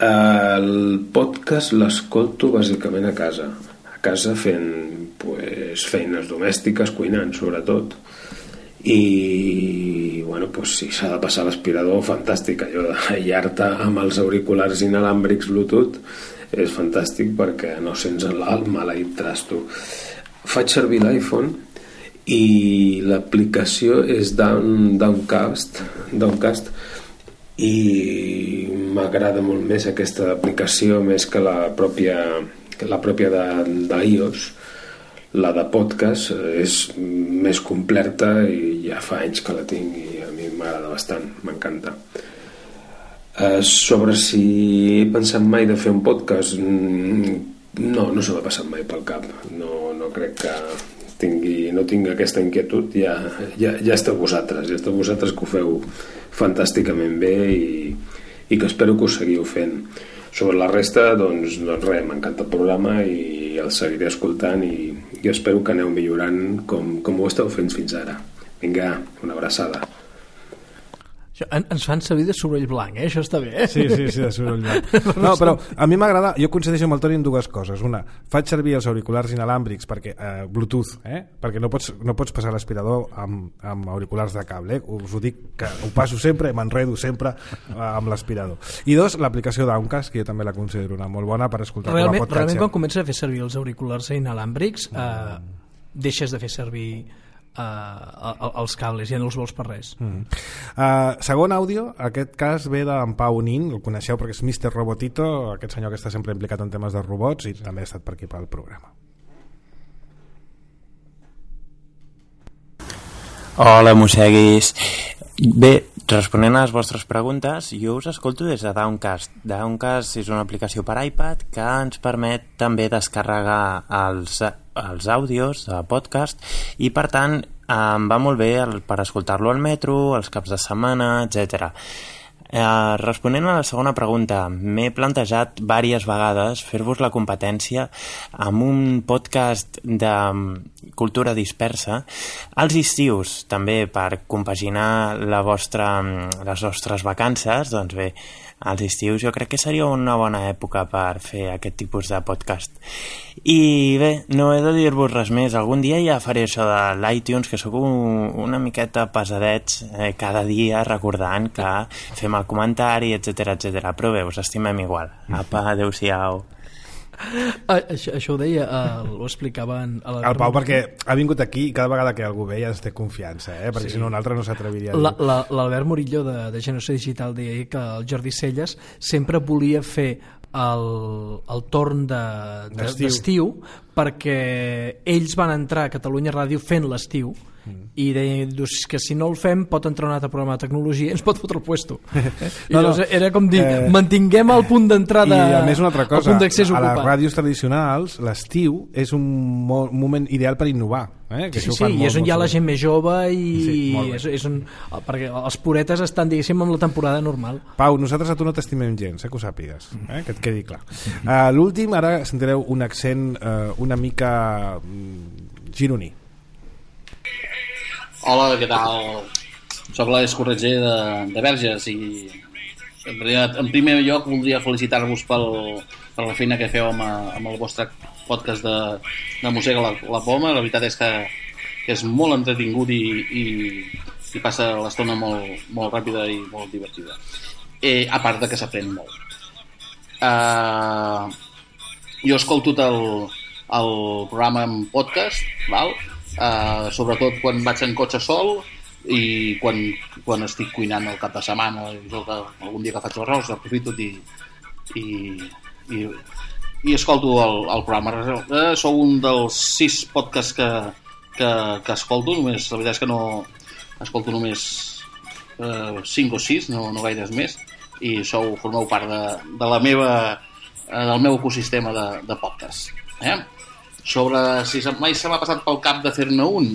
S6: el podcast l'escolto bàsicament a casa fent feines domèstiques, cuinant sobretot, i bueno, si s'ha de passar l'aspirador, fantàstic, allò d'aïllar-te amb els auriculars inalàmbrics Bluetooth és fantàstic perquè no sents el maleït trasto. Faig servir l'iPhone i l'aplicació és Downcast i m'agrada molt més aquesta aplicació més que la pròpia d'iOS. La de podcast és més completa i ja fa anys que la tinc i a mi m'agrada bastant, m'encanta. Sobre si he pensat mai de fer un podcast, no se m'ha passat mai pel cap. No crec que no tinc aquesta inquietud. Ja esteu vosaltres que ho feu fantàsticament bé i que espero que ho seguiu fent. Sobre la resta, doncs res, m'encanta el programa i el seguiré escoltant i espero que aneu millorant com ho esteu fent fins ara. Vinga, una abraçada.
S2: Ens fan servir de soroll blanc, això està bé.
S1: Sí, de soroll blanc. No, però a mi m'agrada, jo coincideixo amb el Toni en dues coses. Una, faig servir els auriculars inalàmbrics perquè Bluetooth, perquè no pots passar l'aspirador amb auriculars de cable. Us ho dic, que ho passo sempre, m'enredo sempre amb l'aspirador. I dos, l'aplicació d'Auncast, que jo també la considero una molt bona per escoltar com a podcast.
S2: Realment quan comences a fer servir els auriculars inalàmbrics deixes de fer servir els cables, ja no els vols per res.
S1: Segon àudio, aquest cas ve d'en Pau Nin, el coneixeu perquè és Mr. Robotito, aquest senyor que està sempre implicat en temes de robots i també ha estat per aquí pel programa.
S7: Hola, mosseguis. Bé, responent a les vostres preguntes, jo us escolto des de Downcast. Downcast és una aplicació per iPad que ens permet també descarregar els àudios de podcast i per tant em va molt bé per escoltar-lo al metro, els caps de setmana, etc. Responent a la segona pregunta, m'he plantejat diverses vegades fer-vos la competència amb un podcast de cultura dispersa als estius, també per compaginar les vostres vacances. Doncs bé, als estius jo crec que seria una bona època per fer aquest tipus de podcast. I bé, no he de dir-vos res més. Algun dia ja faré això de l'iTunes, que sóc una miqueta pesadets cada dia recordant que fem el comentari, etc. Però bé, us estimem igual. Apa, adeu-siau.
S2: Això ho deia, ho explicava
S1: el Pau, perquè ha vingut aquí i cada vegada que algú ve ja es té confiança, perquè si no un altre no s'atreviria a dir.
S2: L'Albert Murillo de Generació Digital deia que el Jordi Celles sempre volia fer el torn d'estiu perquè ells van entrar a Catalunya Ràdio fent l'estiu i deien que si no el fem pot entrar un altre programa de tecnologia i ens pot fotre el puesto. Era com dir, mantinguem el punt d'entrada,
S1: i a més una altra cosa,
S2: el punt d'accés ocupat.
S1: A les ràdios tradicionals l'estiu és un moment ideal per innovar.
S2: Sí, i és on hi ha la gent més jove i perquè els puretes estan, diguéssim, amb la temporada normal.
S1: Pau, nosaltres a tu no t'estimem gens, que ho sàpigues, que et quedi clar. L'últim, ara sentireu un accent una mica gironí.
S8: Hola, què tal? Soc l'Àlex Corretger de Verges i en primer lloc voldria felicitar-vos per la feina que feu amb el vostre podcast de Mossega la Poma. La veritat és que és molt entretingut i passa l'estona molt ràpida i molt divertida. A part de que s'aprèn molt. Jo escolto el programa en podcast, val? Sobretot quan vaig en cotxe sol i quan estic cuinant el cap de setmana, algun dia que faig l'arròs aprofito i escolto el programa. Sou un dels 6 podcasts que escolto, la veritat és que no escolto només 5 o 6, no gaires més, i formeu part del meu ecosistema de podcast. Sobre si mai se m'ha passat pel cap de fer-ne un,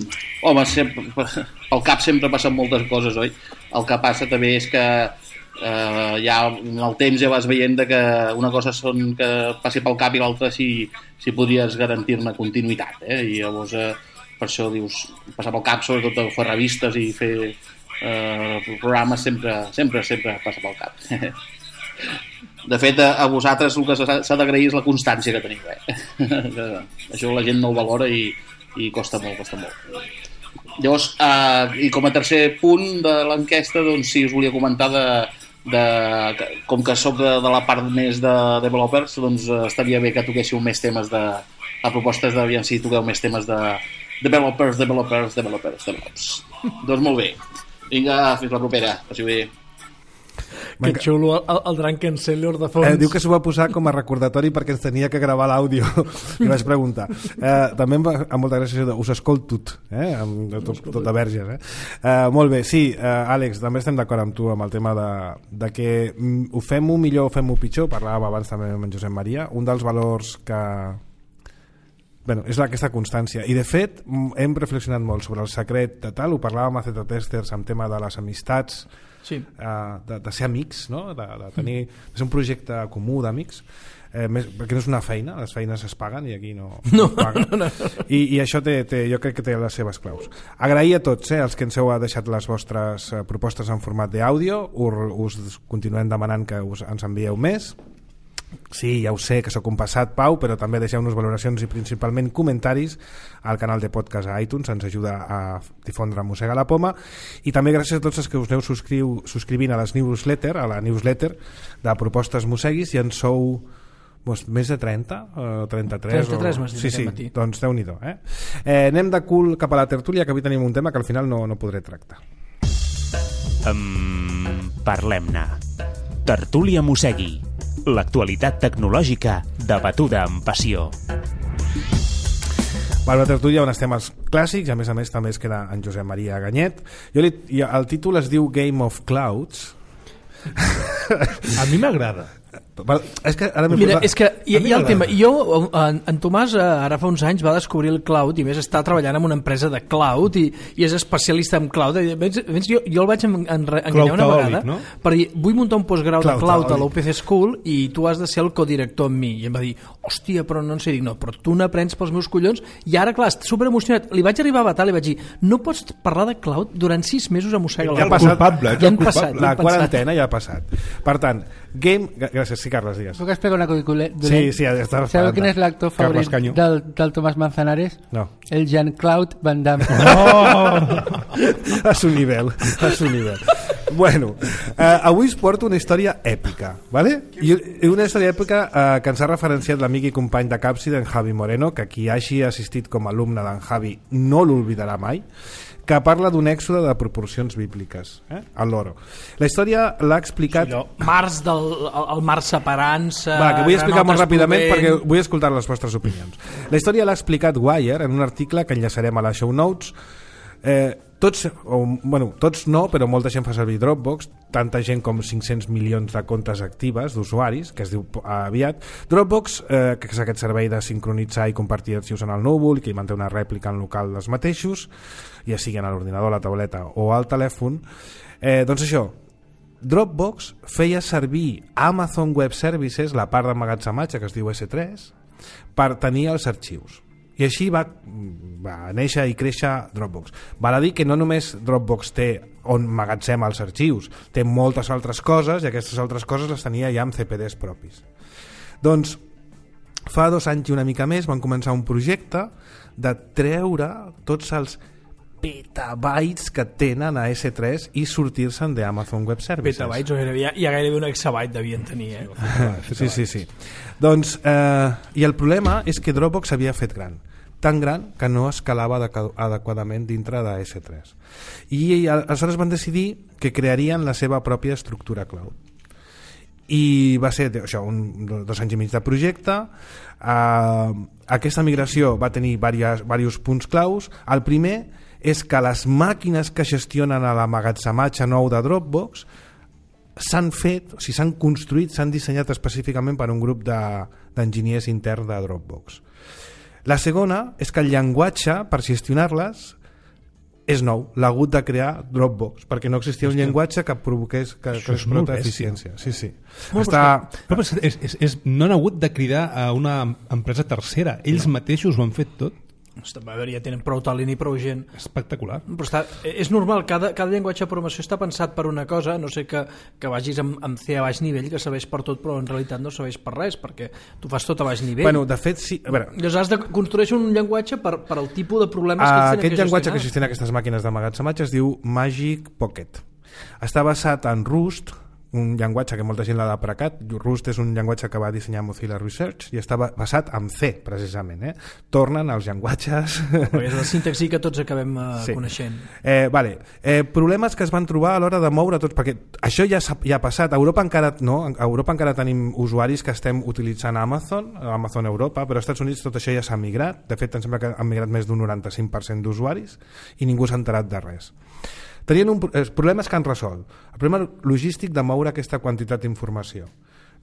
S8: home, pel cap sempre passen moltes coses, oi? El que passa també és que ja en el temps ja vas veient que una cosa són que passi pel cap i l'altra si podries garantir-ne continuïtat, i llavors per això dius, passar pel cap, sobretot fer revistes i fer programes sempre passa pel cap. De fet, a vosaltres el que s'ha d'agrair és la constància que teniu, això la gent no ho valora i costa molt. Llavors, i com a tercer punt de l'enquesta, doncs sí, us volia comentar com que soc de la part més de developers, doncs estaria bé que toquéssiu més temes a propostes d'aviam si toqueu més temes de developers. Doncs molt bé, vinga, fins la propera, passi bé.
S2: Que xulo el Drunken de fons.
S1: Diu que s'ho va posar com a recordatori perquè ens tenia que gravar l'àudio. I vaig preguntar. També amb molta gràcia us escolto tot de verges. Molt bé, sí, Àlex, també estem d'acord amb tu amb el tema de que ho fem-ho millor o fem-ho pitjor. Parlàvem abans també amb en Josep Maria. Un dels valors que... és aquesta constància. I de fet hem reflexionat molt sobre el secret de tal, ho parlàvem a Zeta Testers amb tema de les amistats, sí. de ser amics, no? de ser un projecte comú d'amics, perquè no és una feina, les feines es paguen i aquí no paguen. No. I això jo crec que té les seves claus. Agrair a tots els que ens heu deixat les vostres propostes en format d'àudio, us continuem demanant que ens envieu més. Sí, ja ho sé que sóc un passat, Pau, però també deixeu-nos valoracions i principalment comentaris al canal de podcast a iTunes, ens ajuda a difondre Mossega la Poma, i també gràcies a tots els que us aneu subscrivint a la newsletter de Propostes Mosseguis, i en sou més de 30 o 33
S2: m'has dit aquest matí.
S1: Doncs Déu-n'hi-do, anem de cul cap a la tertúlia, que avui tenim un tema que al final no podré tractar.
S9: Parlem-ne. Tertúlia Mossegui. L'actualitat tecnològica debatuda amb passió.
S1: La tertúlia on estem els clàssics, a més també es queda en Josep Maria Ganyet. El títol es diu Game of Clouds.
S4: A mi m'agrada.
S2: És que hi ha el tema. En Tomàs ara fa uns anys va descobrir el cloud i més està treballant en una empresa de cloud i és especialista en cloud. Jo el vaig enganyar una vegada, no? Per dir, vull muntar un postgrau de cloud a l'UPC School i tu has de ser el codirector amb mi. I em va dir, hòstia, però no en sé. Dic, no, però tu n'aprens pels meus collons. I ara, clar, està superemocionat. Li vaig arribar a batar, li vaig dir, no pots parlar de cloud durant 6 mesos a Mossega la Poma.
S1: La quarantena ja ha passat. Per tant, gràcies, sí, Carles, digues.
S10: ¿Puc explicar una cosa?
S1: Sí, estava
S10: ¿Sabeu quin és l'actor favorit del Tomàs Manzanares?
S1: No.
S10: El Jean-Claude Van Damme.
S1: A su nivel. Bueno, avui us porto una història èpica, ¿vale? I una història èpica que ens ha referenciat l'amic i company de Càpsida, en Javi Moreno, que qui hagi assistit com a alumne d'en Javi no l'oblidarà mai, que parla d'un èxode de proporcions bíbliques, al loro. La història l'ha explicat...
S2: El mar separant-se...
S1: Que vull explicar molt ràpidament perquè vull escoltar les vostres opinions. La història l'ha explicat Wire en un article que enllaçarem a les show notes. Tots no, però molta gent fa servir Dropbox, tanta gent com 500 milions de comptes actives d'usuaris, que es diu aviat. Dropbox, que és aquest servei de sincronitzar i compartir arxius en el núvol, que manté una rèplica en local dels mateixos, ja sigui en l'ordinador, la tauleta o al telèfon. Doncs això, Dropbox feia servir Amazon Web Services, la part d'emmagatzematge que es diu S3, per tenir els arxius. I així va néixer i créixer Dropbox. Val a dir que no només Dropbox té on magatzema els arxius, té moltes altres coses i aquestes altres coses les tenia ja amb CPDs propis. Doncs fa 2 anys i una mica més van començar un projecte de treure tots els petabytes que tenen a S3 i sortir-se'n d'Amazon Web Services.
S2: Petabytes, ja gairebé un exabyte devien tenir,
S1: Sí. Doncs, i el problema és que Dropbox s'havia fet gran, tan gran que no escalava adequadament dintre de S3. I aleshores van decidir que crearien la seva pròpia estructura cloud. I va ser això, 2 anys i mig de projecte. Aquesta migració va tenir diversos punts claus. El primer és que les màquines que gestionen l'emmagatzematge nou de Dropbox s'han fet, o sigui, s'han construït, s'han dissenyat específicament per un grup d'enginyers intern de Dropbox. La segona és que el llenguatge per gestionar-les és nou, l'ha hagut de crear Dropbox, perquè no existia un llenguatge que provoqués que explota eficiència. Sí.
S4: No han hagut de cridar a una empresa tercera, ells mateixos ho han fet tot.
S2: Ja tenen prou talent i prou gent.
S4: Espectacular.
S2: Però és normal, cada llenguatge de programació està pensat per una cosa, no sé que vagis amb C a baix nivell, que serveix per tot, però en realitat no serveix per res, perquè tu fas tot a baix nivell.
S1: Bueno, de fet, sí.
S2: Llavors has de construir un llenguatge per al tipus de problemes que ells tenen que gestionar.
S1: Aquest llenguatge que gestiona aquestes màquines d'emmagatzematge es diu Magic Pocket. Està basat en Rust, un llenguatge que molta gent l'ha deprecat. Rust és un llenguatge que va dissenyar Mozilla Research i estava basat en C, precisament. Tornen als llenguatges...
S2: Però és la sintaxi que tots acabem coneixent.
S1: Problemes que es van trobar a l'hora de moure tots, perquè això ja ha passat. A Europa encara no, a Europa encara tenim usuaris que estem utilitzant Amazon Europa, però als Estats Units tot això ja s'ha migrat. De fet, em sembla que han migrat més d'un 95% d'usuaris i ningú s'ha enterat de res. Tenien problemes que han resolt. El problema logístic de moure aquesta quantitat d'informació.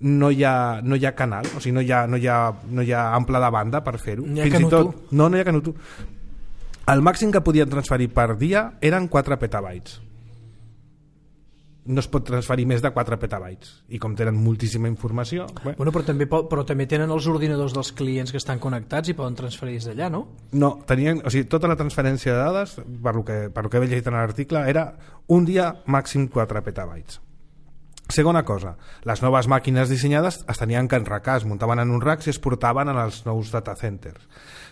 S1: No hi ha canal, o sigui, no hi ha ample de banda per fer-ho.
S2: No hi ha
S1: Canutú. El màxim que podien transferir per dia eren 4 petabytes. No es pot transferir més de 4 petabytes. I com tenen moltíssima informació...
S2: Bueno, però també tenen els ordinadors dels clients que estan connectats i poden transferir des d'allà, no?
S1: No, tota la transferència de dades, per lo que he llegit en l'article, era un dia màxim 4 petabytes. Segona cosa, les noves màquines dissenyades es tenien que enracar, es muntaven en un rack i es portaven en els nous data centers.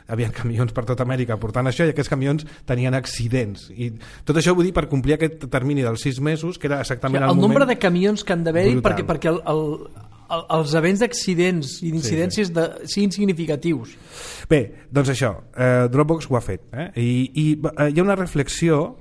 S1: Hi havia camions per tota Amèrica portant això i aquests camions tenien accidents. I tot això vull dir per complir aquest termini dels 6 mesos, que era exactament el moment...
S2: El nombre de camions que han d'haver-hi perquè els events d'accidents i d'incidències siguin significatius.
S1: Bé, doncs això, Dropbox ho ha fet. I hi ha una reflexió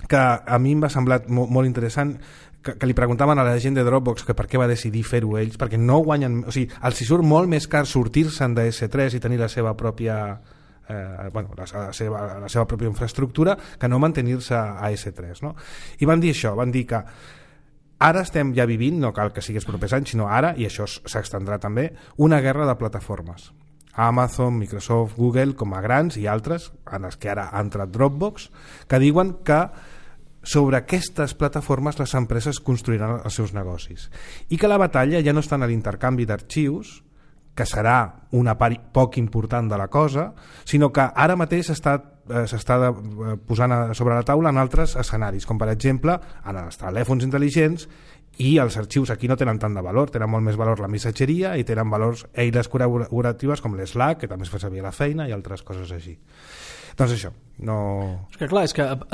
S1: que a mi m'ha semblat molt interessant, que li preguntaven a la gent de Dropbox que per què va decidir fer-ho ells, perquè no guanyen... O sigui, els hi surt molt més car sortir-se'n de S3 i tenir la seva pròpia la seva pròpia infraestructura que no mantenir-se a S3, no? I van dir això, van dir que ara estem ja vivint, no cal que sigués propers anys, sinó ara, i això s'extendrà també, una guerra de plataformes. Amazon, Microsoft, Google, com a grans i altres, en els que ara ha entrat Dropbox, que diuen que sobre aquestes plataformes les empreses construiran els seus negocis i que la batalla ja no està en l'intercanvi d'arxius, que serà una part poc important de la cosa, sinó que ara mateix s'està posant sobre la taula en altres escenaris, com per exemple en els telèfons intel·ligents, i els arxius aquí no tenen tant de valor, tenen molt més valor la missatgeria i tenen valors eines col·laboratives com l'Slack, que també es fa servir a la feina, i altres coses així. Doncs això, no...
S2: És que clar,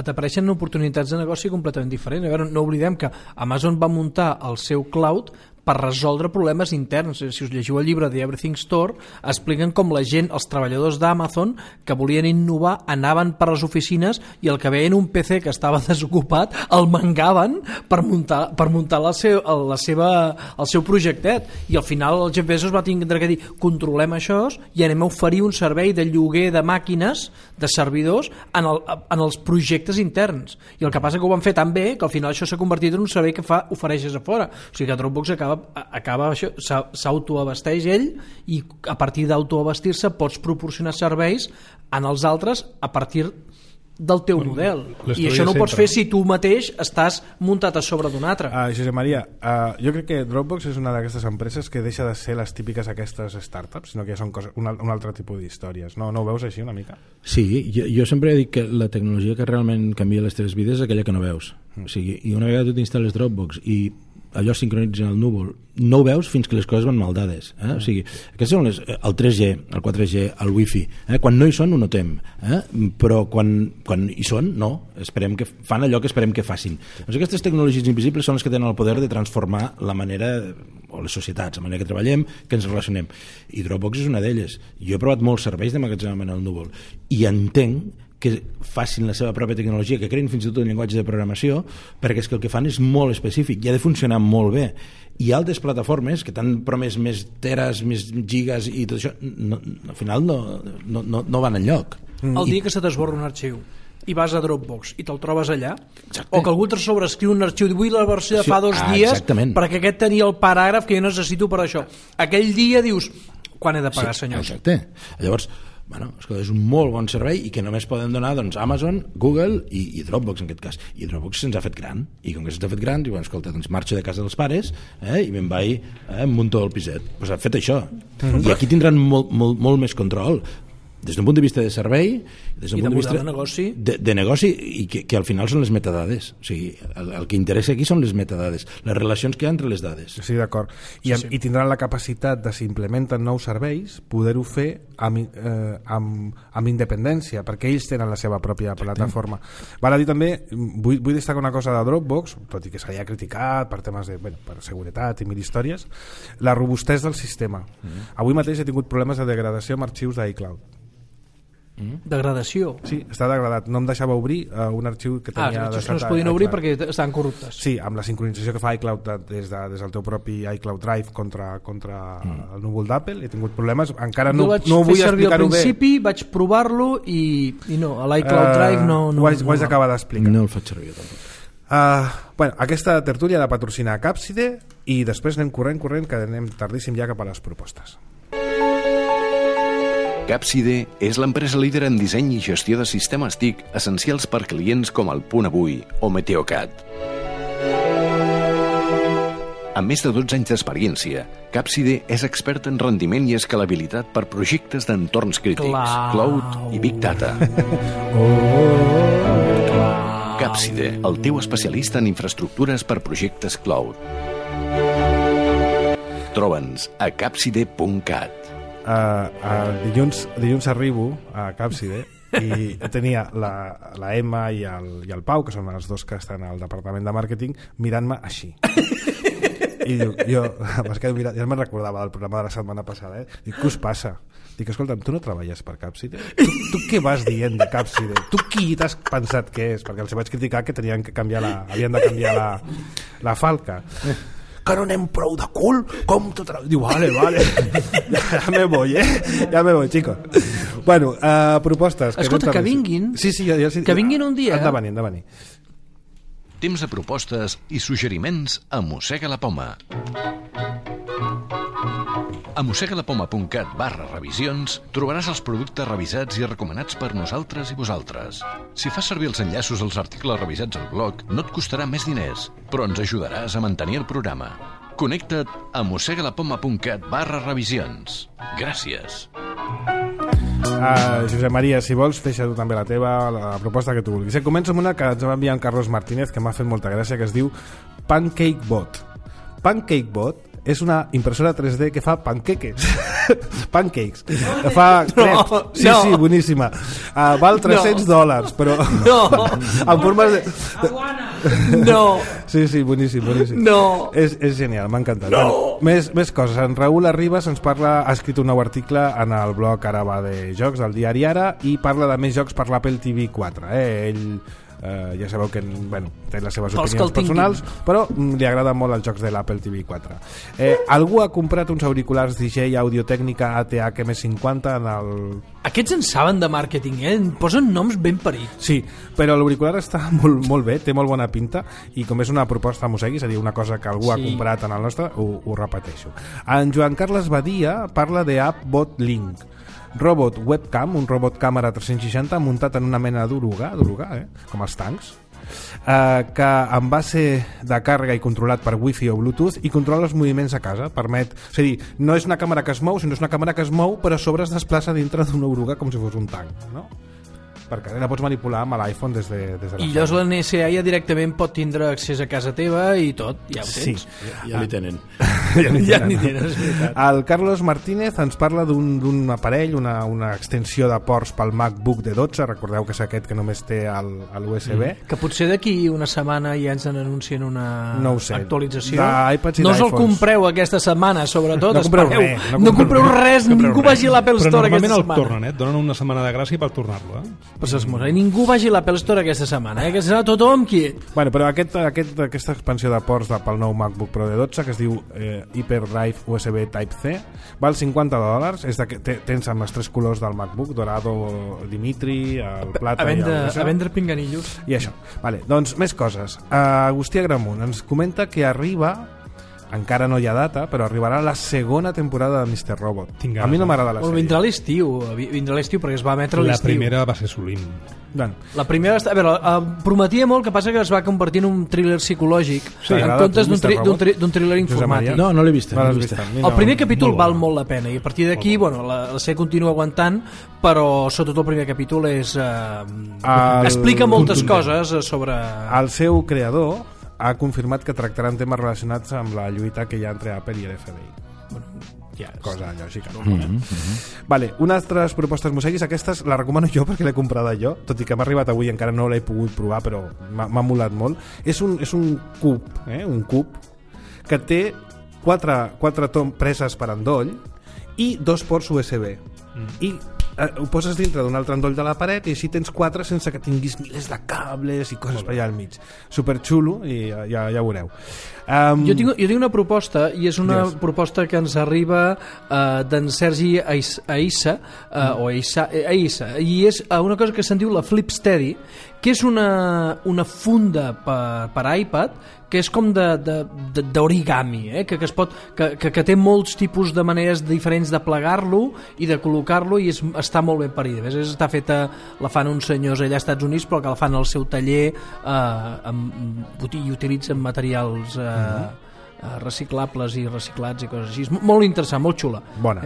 S2: t'apareixen oportunitats de negoci completament diferents. A veure, no oblidem que Amazon va muntar el seu cloud per resoldre problemes interns. Si us llegiu el llibre de Everything Store, expliquen com la gent, els treballadors d'Amazon, que volien innovar, anaven per les oficines i el que veien un PC que estava desocupat el mangaven per muntar el seu projectet. I al final el Jeff Bezos va tindre que dir controlem això i anem a oferir un servei de lloguer de màquines, de servidors, en els projectes interns. I el que passa que ho van fer tan bé que al final això s'ha convertit en un servei que ofereixes a fora. O sigui que Dropbox acaba això, s'autoabasteix ell i a partir d'autoabastir-se pots proporcionar serveis en els altres a partir del teu model. I això no ho pots fer si tu mateix estàs muntat a sobre d'un altre.
S1: Josep Maria, jo crec que Dropbox és una d'aquestes empreses que deixa de ser les típiques aquestes startups, sinó que ja són un altre tipus d'històries. No ho veus així una mica?
S5: Sí, jo sempre he dit que la tecnologia que realment canvia les teves vides és aquella que no veus. O sigui, i una vegada tu t'instal·les Dropbox i allò sincronitza en el núvol, no ho veus fins que les coses van mal dades. O sigui, aquests són el 3G, el 4G, el Wi-Fi. Quan no hi són ho notem, però quan hi són, no. Fan allò que esperem que facin. Doncs aquestes tecnologies invisibles són les que tenen el poder de transformar la manera, o les societats, la manera que treballem, que ens relacionem. I Dropbox és una d'elles. Jo he provat molts serveis d'emmagatzemament al núvol i entenc que facin la seva pròpia tecnologia, que creïn fins i tot un llenguatge de programació, perquè és que el que fan és molt específic i ha de funcionar molt bé. I altres plataformes que t'han promès més teres, més gigas i tot això, al final no van enlloc.
S2: El dia que se t'esborra un arxiu i vas a Dropbox i te'l trobes allà, o que algú te sobrescriu un arxiu i vull la versió de fa 2 dies perquè aquest tenia el paràgraf que jo necessito per això. Aquell dia dius, quan he de pagar, senyor?
S5: Exacte. Llavors, és un molt bon servei i que només poden donar Amazon, Google i Dropbox en aquest cas. I Dropbox se'ns ha fet gran, i com que se'ns ha fet gran, diuen, escolta, marxo de casa dels pares i me'n vaig, munto el piset. Doncs ha fet això. I aquí tindran molt més control. des d'un punt de vista de servei, des d'un punt de vista
S2: de negoci,
S5: de negoci, i que al final són les metadades. O sigui, el que interessa aquí són les metadades, les relacions que hi ha entre les dades.
S1: Sí, d'acord. I tindran la capacitat de, si implementen nous serveis, poder-ho fer amb independència, perquè ells tenen la seva pròpia plataforma. Val a dir també, vull destacar una cosa de Dropbox, tot i que s'ha criticat per temes de, per seguretat i mil històries, la robustesa del sistema. Avui mateix he tingut problemes de degradació amb arxius d'iCloud.
S2: Degradació?
S1: Sí, està degradat. No em deixava obrir un arxiu que tenia...
S2: no es podien obrir perquè estan corruptes.
S1: Sí, amb la sincronització que fa iCloud des del teu propi iCloud Drive contra el núvol d'Apple, he tingut problemes. Encara no vull explicar-ho bé.
S2: Al principi vaig provar-lo i no, a l'iCloud Drive no...
S1: Ho haig d'acabar d'explicar.
S5: No el faig servir tampoc.
S1: Aquesta tertúlia la patrocina Capside i després anem corrent, que anem tardíssim ja cap a les propostes.
S3: Capside és l'empresa líder en disseny i gestió de sistemes TIC essencials per clients com el Punt Avui o Meteocat. Amb més de 12 anys d'experiència, Capside és expert en rendiment i escalabilitat per projectes d'entorns crítics, cloud i Big Data. Capside, el teu especialista en infraestructures per projectes cloud. Troba'ns a capside.cat.
S1: Dilluns arribo a Capside i tenia la Emma i el Pau, que són els dos que estan al departament de màrqueting, mirant-me així. I diu, jo ja me'n recordava del programa de la setmana passada, dic, què us passa? Dic, escolta'm, tu no treballes per Capside? Tu què vas dient de Capside? Tu qui t'has pensat que és? Perquè els vaig criticar que havien de canviar la falca. Que no anem prou de cul, com tot... Diu, vale, ja me voy, chicos. Bueno, propostes.
S2: Escolta, que vinguin.
S1: Sí,
S2: que vinguin un dia.
S1: Han de venir.
S3: Temps de propostes i suggeriments a Mossega la Poma. A mossegalapoma.cat/revisions trobaràs els productes revisats i recomanats per nosaltres i vosaltres. Si fas servir els enllaços als articles revisats al blog, no et costarà més diners, però ens ajudaràs a mantenir el programa. Connecta't a mossegalapoma.cat/revisions. Gràcies.
S1: Josep Maria, si vols, deixa tu també la teva, la proposta que tu vulguis. Començo amb una que ens va enviar en Carlos Martínez, que m'ha fet molta gràcia, que es diu PancakeBot. PancakeBot és una impressora 3D que fa panqueques. Pancakes. Que fa crepes. Sí, boníssima. Val $300, però...
S2: No.
S1: En formes de...
S2: No.
S1: Sí, boníssim.
S2: No.
S1: És genial, m'ha encantat. No. Més coses. En Raül Arribas ens parla, ha escrit un nou article en el blog Ara va de jocs del diari Ara i parla de més jocs per l'Apple TV 4. Ell... ja sabeu que té les seves opinions personals, però li agraden molt els jocs de l'Apple TV 4. Algú ha comprat uns auriculars DJ Audio-Tècnica ATH M50 en el...
S2: Aquests en saben de màrqueting, posen noms ben parits.
S1: Sí, però l'auricular està molt bé, té molt bona pinta, i com és una proposta a Mossegui, és a dir, una cosa que algú ha comprat en el nostre, ho repeteixo. En Joan Carles Badia parla de AppBot Link, robot webcam, un robot càmera 360 muntat en una mena d'oruga, com els tancs, que amb base de càrrega i controlat per Wi-Fi o Bluetooth i controla els moviments a casa, permet, és a dir, no és una càmera que es mou, sinó és una càmera que es mou però a sobre es desplaça dintre d'una oruga com si fos un tanc, no? Perquè la pots manipular amb l'iPhone des de la
S2: I llavors la NSA ja directament pot tindre accés a casa teva i tot, ja ho tens.
S5: Sí, ja n'hi tenen.
S2: Ja n'hi tenen, és veritat.
S1: El Carlos Martínez ens parla d'un aparell, una extensió de ports pel MacBook de 12, recordeu que és aquest que només té l'USB.
S2: Que potser d'aquí una setmana ja ens anuncien una actualització.
S1: No
S2: us el compreu aquesta setmana, sobretot.
S1: No compreu res.
S2: No compreu res, ningú vagi a l'Apple Store aquesta setmana.
S4: Però normalment el tornen, donen una setmana de gràcia per tornar-lo,
S2: Pues ningú vagi a l'Apple Store aquesta setmana, que serà tothom quiet.
S1: Bueno, però aquesta expansió de ports pel nou MacBook Pro de 12, que es diu Hyperdrive USB Type-C, val $50. Tens amb els 3 colors del MacBook, dorado, Dimitri, el plata
S2: i el... A vendre pinganillos.
S1: I això. Vale, doncs més coses. Agustí Agramunt ens comenta que arriba encara no hi ha data, però arribarà la segona temporada de Mr. Robot. A mi no m'agrada la sèrie.
S2: Vindrà l'estiu perquè es va emetre l'estiu.
S4: La primera va ser Solim.
S2: La primera, a veure, prometia molt, que passa que es va convertir en un thriller psicològic en comptes d'un thriller informàtic.
S5: No l'he vist.
S2: El primer capítol val molt la pena i a partir d'aquí, la sèrie continua aguantant, però sobretot el primer capítol explica moltes coses sobre...
S1: El seu creador ha confirmat que tractaran temes relacionats amb la lluita que hi ha entre Apple i l'FBI. Cosa lògica. Vale, unes altres propostes museguis, aquestes la recomano jo perquè l'he comprada jo, tot i que m'ha arribat avui, encara no l'he pogut provar, però m'ha molat molt. És un cub que té 4 preses per endoll i 2 ports USB. I ho poses dintre d'un altre endoll de la paret i així tens 4 sense que tinguis milers de cables i coses per allà al mig. Superxulo i ja veureu.
S2: Jo tinc una proposta i és una proposta que ens arriba d'en Sergi Aissa i és una cosa que se'n diu la Flipsteady, que és una funda per iPad que és com d'origami, que té molts tipus de maneres diferents de plegar-lo i de col·locar-lo i està molt ben parida. Està feta, la fan uns senyors allà als Estats Units, però que la fan al seu taller i utilitzen materials reciclables i reciclats i coses així. Molt interessant, molt xula.
S1: Bona.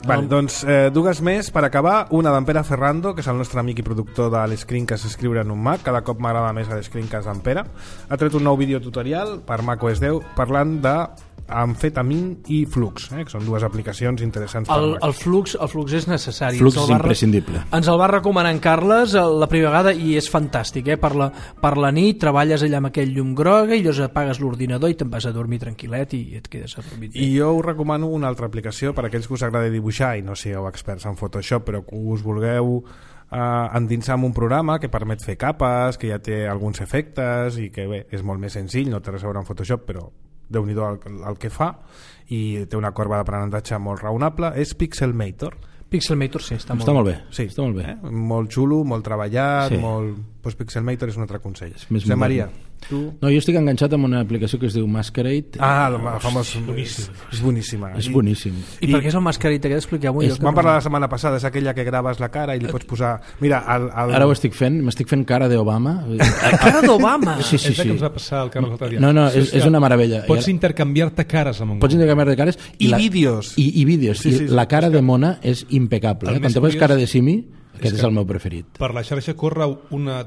S1: Vale, doncs dues més per acabar. Una d'en Pere Ferrando, que és el nostre amic i productor de l'Screencast Escriure en un Mac. Cada cop m'agrada més l'Screencast d'en Pere. Ha tret un nou videotutorial per macOS 10 parlant de Amfetamin i Flux, que són dues aplicacions interessants per Mac.
S2: El Flux és necessari.
S5: Flux és imprescindible.
S2: Ens el va recomanar en Carles la primera vegada i és fantàstic. Per la nit treballes allà amb aquell llum groga i llavors apagues l'ordinador i te'n vas a dormir tranquil·let i et quedes adormit.
S1: I jo us recomano una altra aplicació per a aquells que us agrada dibuixar i no sigueu experts en Photoshop, però que us vulgueu endinsar en un programa que permet fer capes, que ja té alguns efectes i que bé, és molt més senzill, no té res a veure amb Photoshop, però Déu-n'hi-do el que fa, i té una corba d'aprenentatge molt raonable. És Pixelmator.
S2: Pixelmator, sí, està
S5: molt bé.
S1: Sí,
S5: està molt bé.
S1: Molt xulo, molt treballat,
S5: sí.
S1: Doncs Pixelmator és un altre consell.
S5: Josep Maria, tu? No, jo estic enganxat amb una aplicació que es diu Masquerade.
S1: El famós... És boníssima.
S5: És boníssim.
S2: I per què és el Masquerade aquest? Expliqueu-m'ho.
S1: Vam parlar la setmana passada, és aquella que graves la cara i li pots posar... Mira,
S5: ara ho estic fent, m'estic fent cara d'Obama.
S2: Cara d'Obama?
S5: Sí.
S4: És que ens va passar el Carles l'altre dia.
S5: No, és una meravella.
S4: Pots intercanviar-te cares amb un
S5: Pots intercanviar-te cares
S1: i vídeos.
S5: I vídeos. I la cara de mona és impecable. Quan te poses cara de simi, aquest és el meu preferit.
S4: Per la xarxa corre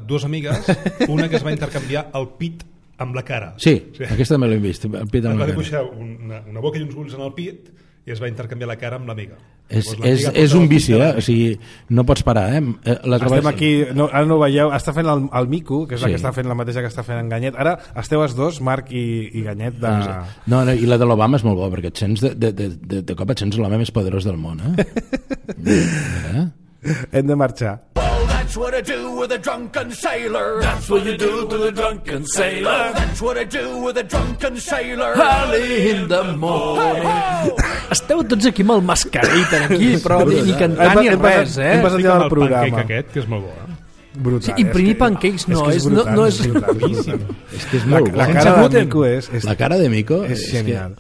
S4: dues amigues, una que es va intercanviar el pit amb la cara.
S5: Sí, aquesta també l'hem vist. El pit amb
S4: es va
S5: la cara.
S4: dibuixar una boca i uns ulls en el pit i es va intercanviar la cara amb l'amiga.
S5: És un vici, o sigui, no pots parar,
S1: Estem aquí, ara no ho veieu, està fent el Mico, que és la que està fent la mateixa que està fent en Ganyet. Ara esteu els dos, Marc i Ganyet
S5: No, i la de l'Obama és molt bo, perquè et sents de cop et sents l'home més poderós del món,
S1: Hem de marxar.
S11: That's what I do with a drunken sailor. That's what you do to a drunken sailor. That's what I do with a drunken sailor. Early in the morning.
S2: Esteu tots aquí amb el Masquerade aquí, però ni cantant ni res,
S1: Hem passat ja al programa.
S4: El pancake aquest, que és molt bo,
S1: Brutal.
S2: Sí, imprimir pancakes no és
S5: que és molt bo.
S1: La cara de Mico
S5: la cara de Mico
S1: és genial.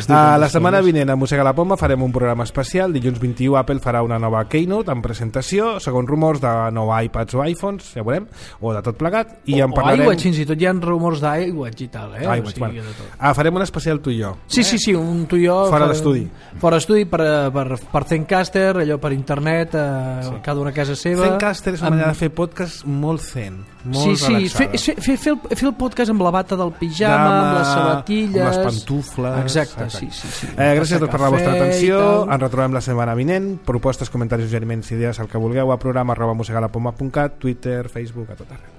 S1: La setmana vinent a Mossega la Poma farem un programa especial. Dilluns 21 Apple farà una nova Keynote amb presentació, segons rumors de nou iPads o iPhones, ja veurem, o de tot plegat, i en parlarem...
S2: O iWatch, fins i tot hi ha rumors d'iWatch i tal,
S1: farem un especial tu i jo.
S2: Sí, un tu i jo
S1: fora d'estudi
S2: per Zencaster, allò per internet, cada una a casa seva.
S1: Zencaster és una manera de fer podcast molt zen, molt relaxada.
S2: Fer el podcast amb la bata del pijama, amb les sabatilles,
S1: amb les pantufles.
S2: Exacte. Sí.
S1: Gràcies a tots per la vostra atenció. Ens retrobem la setmana vinent. Propostes, comentaris, suggeriments, idees, el que vulgueu a programa@mossegalapoma.cat, Twitter, Facebook, a tot arreu.